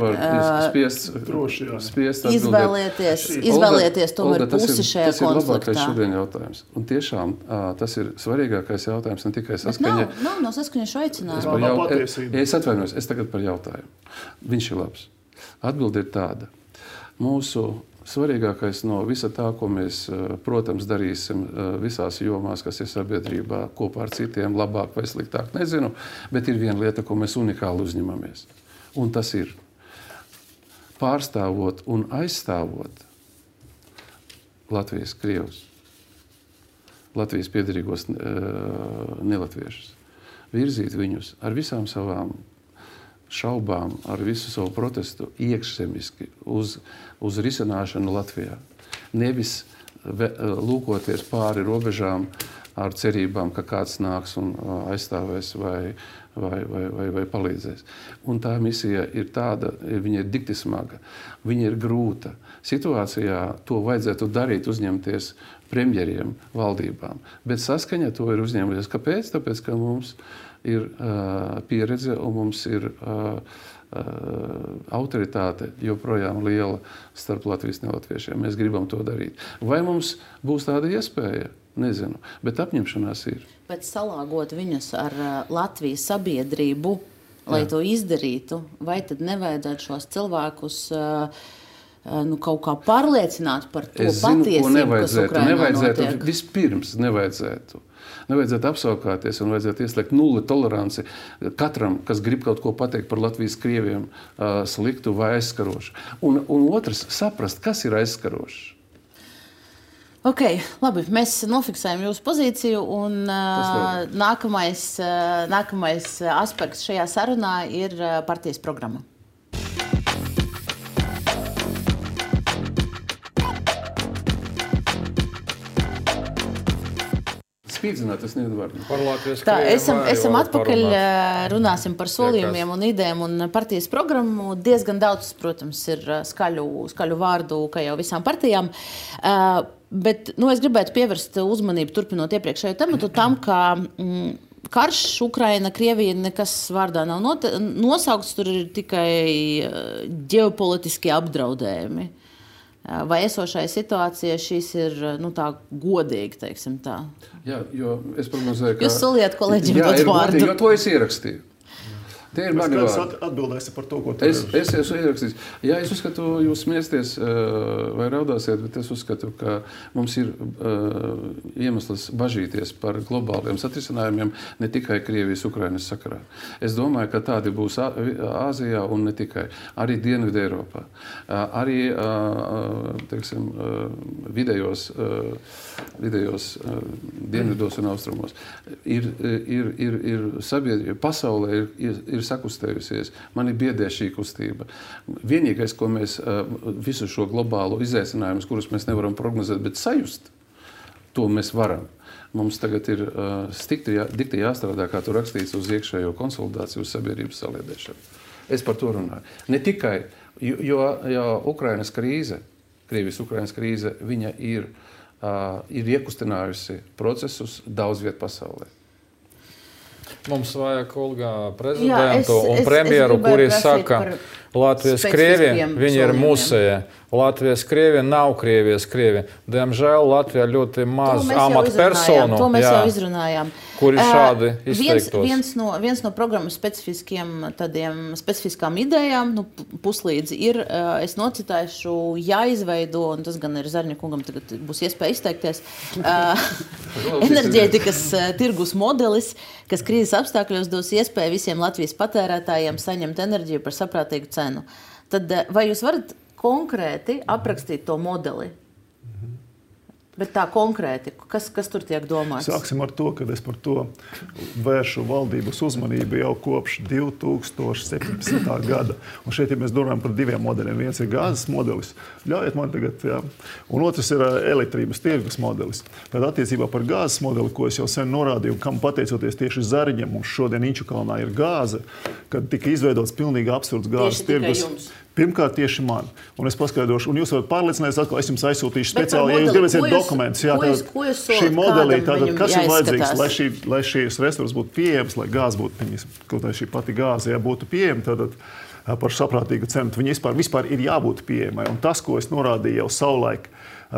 spiests, droši, spiests izvēlēties, izvēlēties tomēr Olga, pusi šajā konfliktā? Tas ir labākais šodien jautājums. Un tiešām tas ir svarīgākais jautājums, ne tikai saskaņa. Bet nav, nav, nav saskaņa šo aicinājumu. Es, jaut... es, es atvainojos, es tagad par jautājumu. Viņš ir labs. Atbilde ir tāda. Mūsu svarīgākais no visa tā, ko mēs, protams, darīsim visās jomās, kas ir sabiedrībā, kopā ar citiem, labāk vai sliktāk, nezinu, bet ir viena lieta, ko mēs unikāli uzņemamies. Un tas ir pārstāvot un aizstāvot Latvijas krievus, Latvijas piederīgos nelatviešus, virzīt viņus ar visām savām šaubām, ar visu savu protestu iekšzemiski uz, uz risināšanu Latvijā. Nevis ve, lūkoties pāri robežām ar cerībām, ka kāds nāks un aizstāvēs vai, vai, vai, vai, vai palīdzēs. Un tā misija ir tāda, viņa ir dikti smaga, viņa ir grūta. Situācijā to vajadzētu darīt, uzņemties premjeriem, valdībām. Bet saskaņa to ir uzņēmusies. Kāpēc? Tāpēc, ka mums ir uh, pieredze un mums ir uh, uh, autoritāte joprojām liela starp Latvijas nelatviešiem. Mēs gribam to darīt. Vai mums būs tāda iespēja? Nezinu, bet apņemšanās ir. Bet salāgot viņus ar uh, Latvijas sabiedrību, lai Jā. To izdarītu, vai tad nevajadzētu šos cilvēkus uh, uh, nu, kaut kā pārliecināt par to es zinu, patiesību, kas Ukrainā nevajadzētu, notiek? Vispirms nevajadzētu. Nevajadzētu apsaukāties un vajadzētu ieslēgt nulli toleranci katram, kas grib kaut ko pateikt par Latvijas krieviem uh, sliktu vai aizskarošu. Un, un otrs, saprast, kas ir aizskarošs. Ok, labi, mēs nofiksējam jūsu pozīciju un uh, nākamais, uh, nākamais aspekts šajā sarunā ir uh, partijas programma. Spīdzināt, es nevaru. Par Latvijas Tā, krieviem esam, arī esam var atpakaļ, parunāt. runāsim par solījumiem un idejām un partijas programmu. Diezgan daudz, protams, ir skaļu, skaļu vārdu, kā jau visām partijām. Uh, bet, nu, es gribētu pievērst uzmanību, turpinot iepriekšējo tematu, tam, ka mm, karš Ukraina, Krievija nekas vārdā nav note, nosaukts, tur ir tikai ģeopolitiski apdraudējumi. Vai esošai situācijai šīs ir, nu, tā godīgi, teiksim tā? Jā, jo es prognozēju, ka... Jūs soliet kolēģiem dot vārdu. Jo to es ierakstīju. Tie ir mani vārdi. Atbildēsi par to, ko tu es, es esmu ierakstījis. Jā, es uzskatu, jūs smiesties vai raudāsiet, bet es uzskatu, ka mums ir uh, iemesls bažīties par globāliem satrisinājumiem ne tikai Krievijas, Ukrainas sakarā. Es domāju, ka tādi būs Āzijā un ne tikai. Arī Dienvidu Eiropā. Uh, arī, uh, teiksim, uh, vidējos, uh, vidējos uh, dienvidos un austrumos. Ir, ir, ir, ir sabiedrība, pasaulē ir, ir, ir sakustējusies. Mani biedē šī kustība. Vienīgais, ko mēs visu šo globālo izaicinājumus, kurus mēs nevaram prognozēt, bet sajust, to mēs varam. Mums tagad ir stikti jā, dikti jāstrādā, kā tu rakstīts, uz iekšējo konsolidāciju, uz sabiedrības saliedēšanu. Es par to runāju. Ne tikai, jo, jo Ukrainas krīze, Krievijas Ukrainas krīze, viņa ir, ir iekustinājusi procesus daudz viet pasaulē. Mums vajag Olgā prezidentu Jā, es, un es, premjeru, es kuri saka, Latvijas krievie, viņi ir musēji. Latvijas krievi nav Krievijas krievi. Diemžēl Latvijā ļoti maz amatpersonu, to mēs jau izrunājām. Kuri šādi izteiktos. Viens, viens, no, viens no programmas specifiskiem, tādiem, specifiskām idejām, nu, puslīdzi ir, es nocitēšu, jāizveido, un tas gan ir Zarņakungam tagad būs iespēja izteikties, enerģētikas tirgus modelis, kas krīzes apstākļos dos iespēju visiem Latvijas patērētājiem saņemt enerģiju par saprātīgu cenu. Tad vai jūs varat konkrēti aprakstīt to modeli? Bet tā konkrēti, kas, kas tur tiek domāts? Sāksim ar to, ka es par to vēršu valdības uzmanību jau kopš divi tūkstoši septiņpadsmitā gada. Un šeit, ja mēs domājam par diviem modeļiem, viens ir gāzes modelis, ļaujiet man tagad, jā, un otrs ir elektrības tirgus modelis. Tad attiecībā par gāzes modeli, ko es jau sen norādīju, kam pateicoties tieši Zariņam, mums šodien Inčukalnā ir gāze, kad tika izveidots pilnīgi absurds gāzes tirgus. Pirmkārt, tieši man. Un es paskaidrošu, un jūs varat pārliecināties, atkal es jums aizsūtīšu speciāli, ja jūs gribēsiet dokumentus. Jā, tātad šī modelī, tātad, kas ir vajadzīgs, lai, šī, lai šīs resursi būtu pieejams, lai gāze būtu, kaut kā šī pati gāze, ja būtu pieejama, tātad par saprātīgu cenu, viņi vispār, vispār ir jābūt pieejamai. Un tas, ko es norādīju jau savulaik,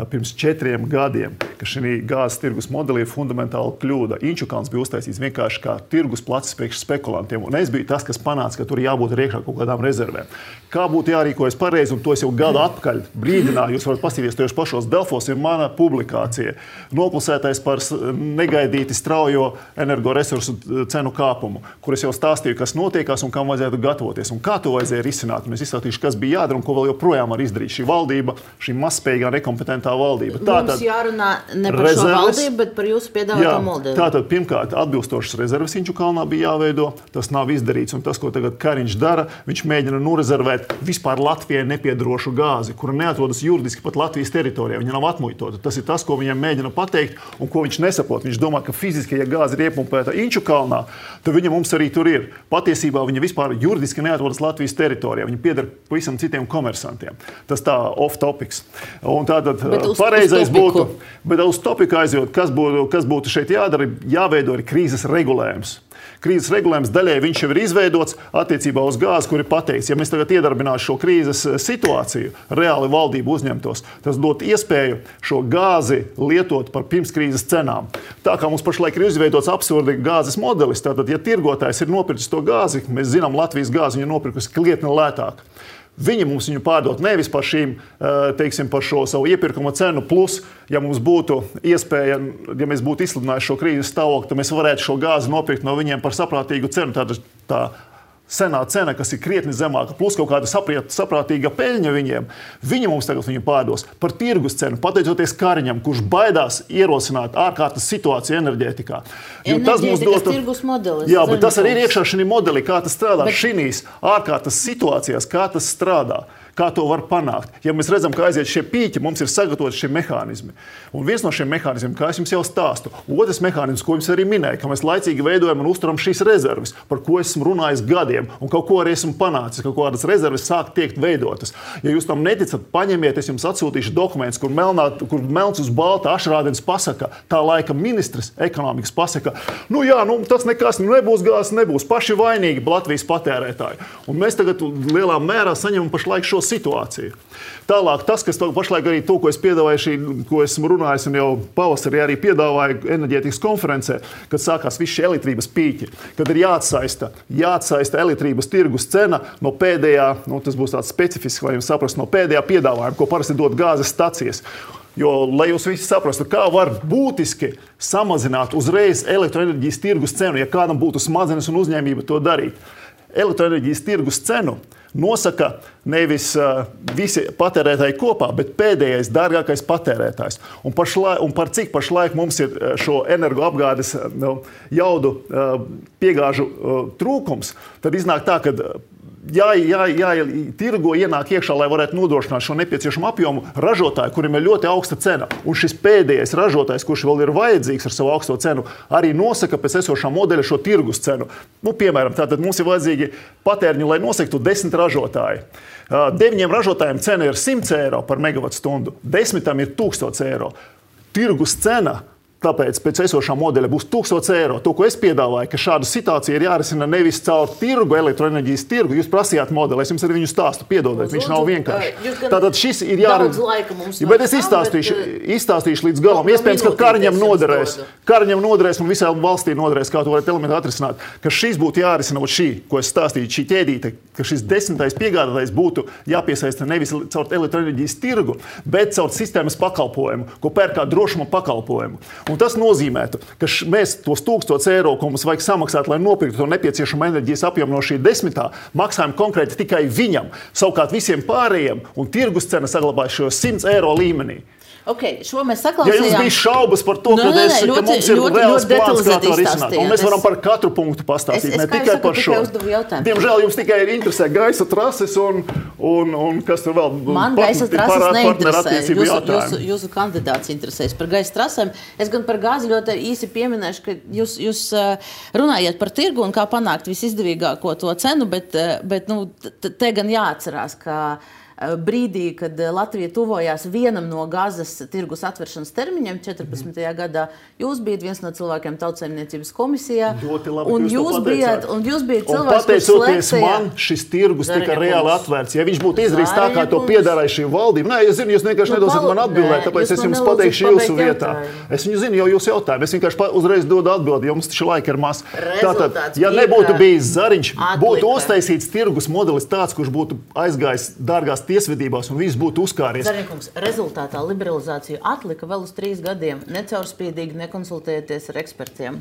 pirms četriem gadiem, ka šī gāzes tirgus modelī ir fundamentāla kļūda. Inčukalns bija uztaisīts vienkārši kā tirgus placis priekš spekulantiem, un es biju tas, kas panāca, ka tur jābūt iekšā kaut kādām rezervēm. Kā būtu jārīkojas pareizi, un to es jau gadu atpakaļ brīdināju, jūs varat paskatīties tieši pašos Delfos, ir mana publikācija. Nopulsētais par negaidīti straujo energoresursu cenu kāpumu, kur es jau stāstīju, kas notiekās un kam vajadzētu gatavoties, un kā to vajadzēja risināt. Un es izstāstīšu, kas bija jādara un ko vēl joprojām var izdarīt šī valdība, šī mazspējīgā, nekompetentā valdība. Tātad, mums jārunā ne par rezerves, šo valdību, bet par jūsu piedāvāto modeli. Tātad, pirmkārt, atbilstošas rezerves Inčukalnā bija jāveido, tas nav izdarīts, un tas, ko tagad Kariņš dara, viņš mēģina norezervēt vispār Latvijai nepiedarošu gāzi, kura neatrodas juridiski pat Latvijas teritorijā, viņa nav atmuitota. Tas ir tas, ko viņam mēģina pateikt, un ko viņš nesaprot. Viņš domā, ka fiziski, ja gāze ir iepumpēta Inčukalnā, tad viņa mums arī tur ir. Patiesībā viņa vispār juridiski neatrodas Latvijas teritorijā, viņa pieder pavisam citiem komersantiem. Tas tā off topics. Un tātad uz, pareizais uz būtu, bet uz topiku aizjūt, kas būtu, kas būtu šeit jādara, jāveido ir krīzes regulējums. Krīzes regulējums daļai viņš jau ir izveidots attiecībā uz gāzi, kur ir pateikts, ja mēs tagad iedarbinātu šo krīzes situāciju, reāli valdību uzņemtos, tas dot iespēju šo gāzi lietot par pirmskrīzes cenām. Tā kā mums pašlaik ir izveidots absurdi gāzes modelis, tātad, ja tirgotājs ir nopircis to gāzi, mēs zinām, Latvijas gāzi viņa nopirkusi krietni lētāk. Viņi mums viņu pārdot nevis par šīm, teiksim, par šo savu iepirkuma cenu, plus, ja mums būtu iespēja, ja mēs būtu izsludinājuši šo krīzes stāvokli, tad mēs varētu šo gāzi nopirkt no viņiem par saprātīgu cenu. Tātad tā senā cena, kas ir krietni zemāka, plus kaut kāda saprātīga peļņa viņiem, viņi mums tagad viņu pārdos par tirgus cenu, pateicoties Kariņam, kurš baidās ierosināt ārkārtas situāciju enerģētikā. Jo tas mums dot tirgus modelis. Jā, bet tas arī ir iekšā šī modelī, kā tas strādā bet... šīs ārkārtas situācijās, kā tas strādā. Kā to var panākt? Ja mēs redzam, ka aiziet šie pīķi, mums ir sagatavoti šie mehānismi. Un viens no šiem mehānismiem, kā es jums jau stāstu, otrs mehānisms, ko jums arī minēja, ka mēs laicīgi veidojam un uzturam šīs rezerves, par ko esmu runājis gadiem un kaut ko arī esmu panācis, ka kaut kādas rezerves sāk tiekt veidotas. Ja jūs tam neticat, paņemiet, es jums atsūtīšu dokumentus, kur, melnā, kur melns uz balta Ašrādens pasaka, tā laika ministrs ekonomikas pasaka, nu jā, nu tas nekas, nu nebūs gāzes, nebūs paši vainīgi Latvijas patērētāji. Un mēs tagad lielā mērā saņemam pašlaik šo situāciju. Tālāk tas, kas pašlaik arī to, ko es piedāvāju, šī, ko esmu runājis un jau pavasarī arī piedāvāju enerģētikas konferencē, kad sākās visi šie elektrības pīķi, kad ir jāatsaista, jāatsaista elektrības tirgus cena no pēdējā, nu tas būs tāds specifisks, lai jums saprastu, no pēdējā piedāvājuma, ko parasti dod gāzes stacijas. Jo, lai jūs visi saprastu, kā var būtiski samazināt uzreiz elektroenerģijas tirgus cenu, ja kādam būtu smadzenes un uzņēmība to darīt. Elektroenerģijas tirgus cenu nosaka nevis uh, visi patērētāji kopā, bet pēdējais, dārgākais patērētājs. Un, pašlaik, un par cik pašlaik mums ir šo energoapgādes uh, jaudu uh, piegāžu uh, trūkums, tad iznāk tā, ka Jā, jā, jā, tirgo ienāk iekšā, lai varētu nodrošināt šo nepieciešamo apjomu ražotāju, kuriem ir ļoti augsta cena. Un šis pēdējais ražotājs, kurš vēl ir vajadzīgs ar savu augsto cenu, arī nosaka pēc esošā modeļa šo tirgus cenu. Nu, piemēram, tātad mums ir vajadzīgi patēriņu, lai nosaktu desmit ražotāji. Deviņiem ražotājiem cena ir simts eiro par megavatstundu, desmitam ir tūkstots eiro. Tirgus cena Tāpēc pēc esošā modeļa būs tūkstots eiro. To, ko es piedāvāju, ka šāda situācija ir jārisina nevis caur tirgu, elektroenerģijas tirgu. Jūs prasījāt modeli, es jums arī viņu stāstu, piedodiet, viņš nav vienkārši. Tātad šis ir jārisina. Bet es izstāstīšu, izstāstīšu līdz galam. Iespējams, ka Kariņam noderēs. Kariņam noderēs un visai valstī noderēs, kā to varat elementāri atrisināt. Ka šis būtu jārisina, šī, ko es stāstīju, šī ķēdīte, ka šis desmitais piegādātājs būtu jāpiesaista nevis caur elektroenerģijas tirgu, bet caur sistēmas pakalpojumu, ko pērk kā drošuma pakalpojumu. Un tas nozīmētu, ka š, mēs tos tūkstotis eiro, ko mums vajag samaksāt, lai nopirktu to nepieciešamo enerģijas apjomu no šī desmitā, maksājam konkrēti tikai viņam. Savukārt visiem pārējiem un tirgus cena saglabājas šos simts eiro līmenī. Okay, šo mēs Ja saklausījām. jums bija šaubas par to, Nu, ka, nē, es, nē, ka ļoti- mums ir ļoti- reāls ļoti plāns, kā to detalizēti risināt. izstāstījāt. Un mēs varam Es- par katru punktu pastāstīt, Es- es, ne kā jau tikai saku, par šo. tikai uzdevu jautājumu. Diemžēl jums tikai ir interesē gaisa trases un, un, un kas tur vēl Man part- gaisa trases par- neinteresē. partnerattiecību Jūsu, jūsu, jautājumi. jūsu kandidāts interesēs par gaisa trasēm. Es gan par gāzi ļoti īsi pieminēšu, ka jūs, jūs uh, runājat par tirgu un kā panākt visizdevīgāko to cenu, bet, uh, bet nu, t- te gan jāatcerās, ka uh, brīdī, kad uh, Latvija tuvojās vienam no gāzes tirgus atveršanas termiņiem, četrpadsmitajā gadā, jūs bijat viens no cilvēkiem Tautsaimniecības komisijā. Ļoti labi, un ka jūs to jūs bijat, pateicāt. un jūs bijat Un cilvēks, kurš pateicoties slēptajā- man, šis tirgus tika Zariņa reāli kungs. atvērts. Ja viņš būtu izdarījis tā, kā to Zariņa piedāvāja šī valdība, nē, es zinu, jūs vienkārši Nu, nedosiet palu- man atbildēt, nē, tāpēc jūs es man jums nelūdzat pateikšu pabeigt jūsu vietā. jautājumu. Es viņu zinu jau jūsu jautājumu. Es vienkārši pa- uzreiz dodu atbildi, jo mums taču laika ir maz. Tātad, Rezultāts ja bija, nebūtu ka bijis Zariņš, būtu atlika. uztaisīts tirgus modelis tāds, kurš būtu aizgājis dārgās tiesvedībās un viss būtu uzkāries. Zariņkungs, rezultātā liberalizāciju atlika vēl uz trīs gadiem, necaurspīdīgi nekonsultējoties ar ekspertiem.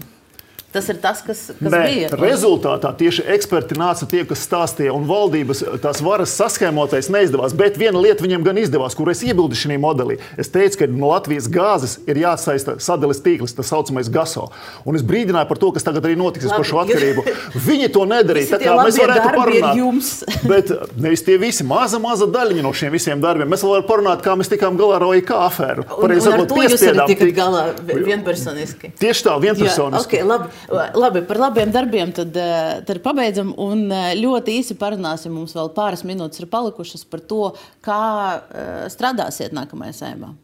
Tas ir tas, kas, kas Nē, bija. rezultātā tieši eksperti nāca tie, kas stāstīja, un valdības tās varas saskēmotais neizdevās. Bet viena lieta viņiem gan izdevās, kur es iebildu šajā modelī. Es teicu, ka no Latvijas gāzes ir jāatsaista sadales tīkls, tas saucamais GASO. Un es brīdināju par to, kas tagad arī notiks Labi, par šo jūs- atkarību. Viņi to nedarīja. Visi Tā tie kā mēs labie varētu darbi ir parunāt. jums. Bet nevis tie visi, maza, maza daļiņa no šiem visiem darbiem. Mēs vēl varam parunāt, kā mēs tikām galā ar O I K afēru. Un, Pareizi un ar sakot, to jūs arī piespiedām tikat tikt. galā vienpersoniski. Tieši tā, vienpersoniski. Jā, okay, labi, labi, par labiem darbiem tad, eh, tad pabeidzam un eh, ļoti īsi parunāsim. Mums vēl pāris minūtes ir palikušas par to, kā eh, strādāsiet nākamajā Saeimā.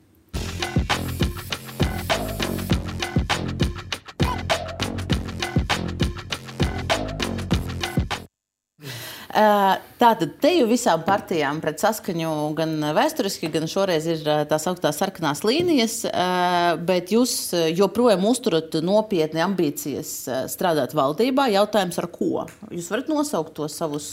Tātad te jau visām partijām pret Saskaņu gan vēsturiski, gan šoreiz ir tās augstās sarkanās līnijas, bet jūs joprojām uzturat nopietni ambīcijas strādāt valdībā. Jautājums ar ko? Jūs varat nosaukt tos savus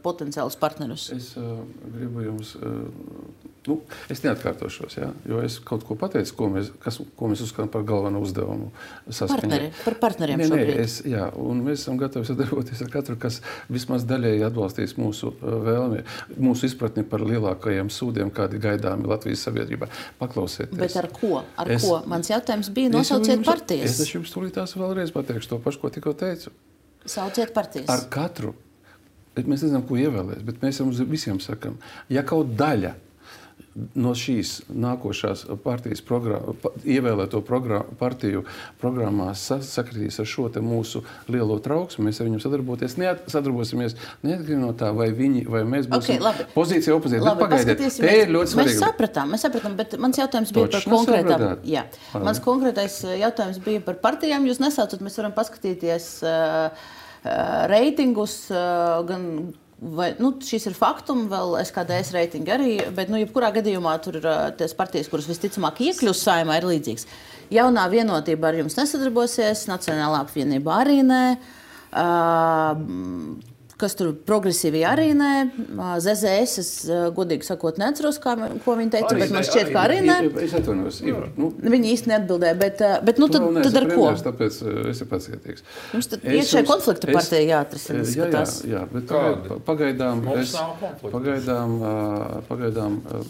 potenciālus partnerus? Es uh, gribu jums, uh, nu, es neatkārtošos, ja, jo es kaut ko pateicu, ko mēs, kas, ko mēs uzskatām par galveno uzdevumu Saskaņai. Partneri, par partneriem Nē, nē, šobrīd. es, jā, un mēs esam gatavi sadarboties ar katru, kas vismaz daļēji atbalstīs mūsu uh, vēlmi, mūsu izpratni par lielākajiem sūdiem, kādi gaidāmi Latvijas sabiedrībā. Paklausieties. Bet ar ko? Ar Es- ko? Mans jautājums bija, Es jau nosauciet jums- partijas. Es taču jums tūlītās vēlreiz pateikšu to pašu, ko tikko teicu. Sauciet partijas. Ar katru. Bet mēs nezinām, ko ievēlēs, bet mēs jums visiem sakam, ja kaut daļa no šīs nākošās partijas programma, pa, ievēlēto program, partiju programmās sa, sakritīs ar šo te mūsu lielo trauksmi, mēs ar viņiem sadarboties, neat, sadarbosimies neatkarīgi no tā, vai viņi, vai mēs būsim Okay, labi. pozīcija, opozīcija. Labi, Bet pagaidiet, paskatīsimies. te ir ļoti Mēs svarīgi. sapratām, mēs sapratām, bet mans jautājums bija Točs par konkrētām. nesapratāt? Jā, Labi. mans konkrētais jautājums bija par partijām. Jūs nesaucat, mēs varam paskatīties uh, uh, reitingus, uh, gan, vai, nu, šis ir faktums, vēl S K D S reitingi arī, bet, nu, jebkurā gadījumā tur ir uh, tās partijas, kuras visticamāk iekļūs Saeimā, ir līdzīgas. Jaunā vienotība ar jums nesadarbosies, Nacionālā apvienība arī nē. Uh, Kas tur progresīvi arī nē. Z Z S, es godīgi sakot, neatceros, kā, ko viņi teica, Arī bet man nē, šķiet, ka arī nē. Es atvainojos, Ivar. Nu, Viņi īsti neatbildēja, bet, bet nu, tad, tu vēl tad ar neesi ko? premjers, tāpēc uh, esi pacietīgs. Jums tad Es iekšēji jums- konflikta es- partija jāatrisina, Jā, jā, skatās. jā, bet Kādi? pagaid- pagaidām Mums es, nav konflikta. pagaidām, ā, pagaidām ā,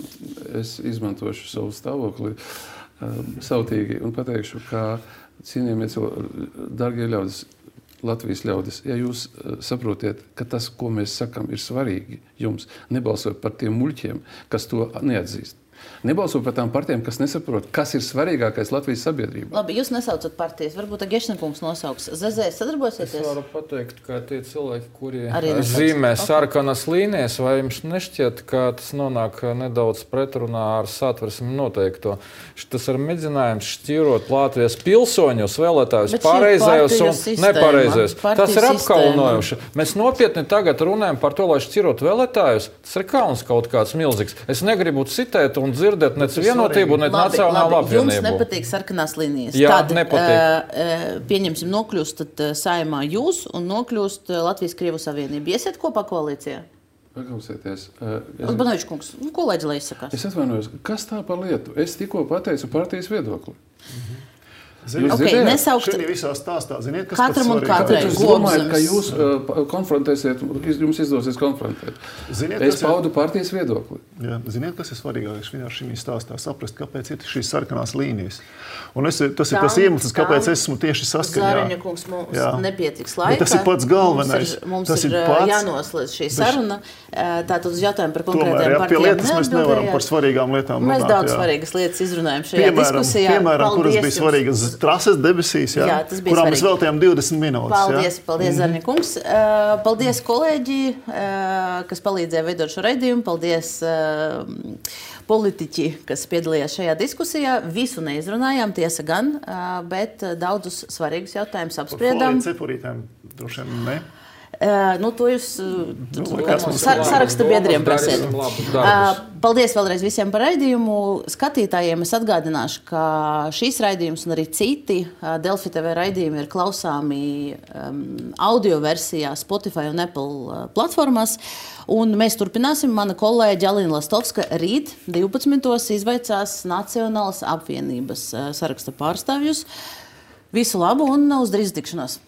es izmantošu savu stāvokli ā, sautīgi un pateikšu, ka cienījamie cilvēki, darbie ļaudis, Latvijas ļaudis, ja jūs uh, saprotiet, ka tas, ko mēs sakam, ir svarīgi jums, nebalsot par tiem muļķiem, kas to neatzīst. Nebalsot par tām partijām, kas nesaprot, kas ir svarīgākais Latvijas sabiedrībā. Labi, jūs nesaucat partijas. Varbūt Gešnekungs nosauks. Z Z S Es sadarbosieties? varu pateikt, ka tie cilvēki, kuri Arī nesauc. zīmē Ok. sarkanas līnijas, vai jums nešķiet, ka tas nonāk nedaudz pretrunā ar satversmi noteikto? Tas ir mēģinājums šķirot Latvijas pilsoņus, vēlētājus Bet šī ir pareizajos partiju un sistēma. nepareizajos. Partiju Tas ir sistēma. apkaunojoši. Mēs nopietni tagad runājam par to, lai šķirot vēlētājus. Tas ir kauns kaut kāds milzīgs. Es negribu citēt un dzirdēt nec vienotību, nec Labi, nacionālu labi, jums apvienību. nepatīk sarkanās līnijas. Jā, Tad, nepatīk. uh, pieņemsim, nokļūst tad, uh, Saeimā jūs un nokļūst uh, Latvijas-Krievu savienība. Iesiet kopā koalīcijā? Paklausieties, ā, es, Uzbanovičs kungs, nu, ko lai izsakās? es atvainojos, kas tā par lietu? Es tikko pateicu partijas viedokli. Jūs okay, dzirdējāt? nesaukt... Šī visā stāstā, ziniet, kas Katram un pats katrai. Kāpēc jūs domājat, ka jūs uh, konfrontēsiet, jums izdosies konfrontēt? Ziniet, es kas ir- paudu partijas viedokli. Jā, ziniet, kas ir svarīgākais šajā šī stāstā? Saprast, kāpēc ir šīs sarkanās līnijas. Un es, tas ir Tam- tas iemesls, kāpēc tam es esmu tieši saskaņā. Zāriņa kungs, mums Jā. nepietiks Bet laika. tas ir pats galvenais. Mums ir, mums Tas ir, ir pats- jānoslēdz šī saruna. Tātad uz jautājumu par Tomēr, konkrētiem jā, pie partijām lietas mēs nevaram neatbildējāt. par svarīgām lietām Mēs runāt, daudz jā. svarīgas lietas izrunājam šajā Piemēram, diskusijā. piemēram kuras Paldies bija jums. svarīgas trases debesīs, jā, Jā, tas bija kurām mēs svarīgi. veltījām divdesmit minūtes. Paldies, jā. paldies Zārņa kungs. Uh, Paldies kolēģi, uh, kas palīdzēja veidot šo raidījumu. Paldies uh, politiķi, kas piedalījās šajā diskusijā. Visu neizrunājām, tiesa gan, uh, bet daudzus svarīgus jautājumus Par apspriedām. foliju cepurītēm droši vien ne. Uh, nu, to jūs uh, Nu, kā- kas mums sa- ir labi? saraksta biedriem prasiet. Darīsim labus Uh, darbus. Paldies vēlreiz visiem par raidījumu. Skatītājiem es atgādināšu, ka šīs raidījums un arī citi uh, Delfi T V raidījumi ir klausāmi um, audio versijā Spotify un Apple uh, platformās. Un mēs turpināsim. Mana kolēģe Alina Lastovska rīt divpadsmitos izvaicās Nacionālas apvienības uh, saraksta pārstāvjus. Visu labu un uz drīz tikšanos!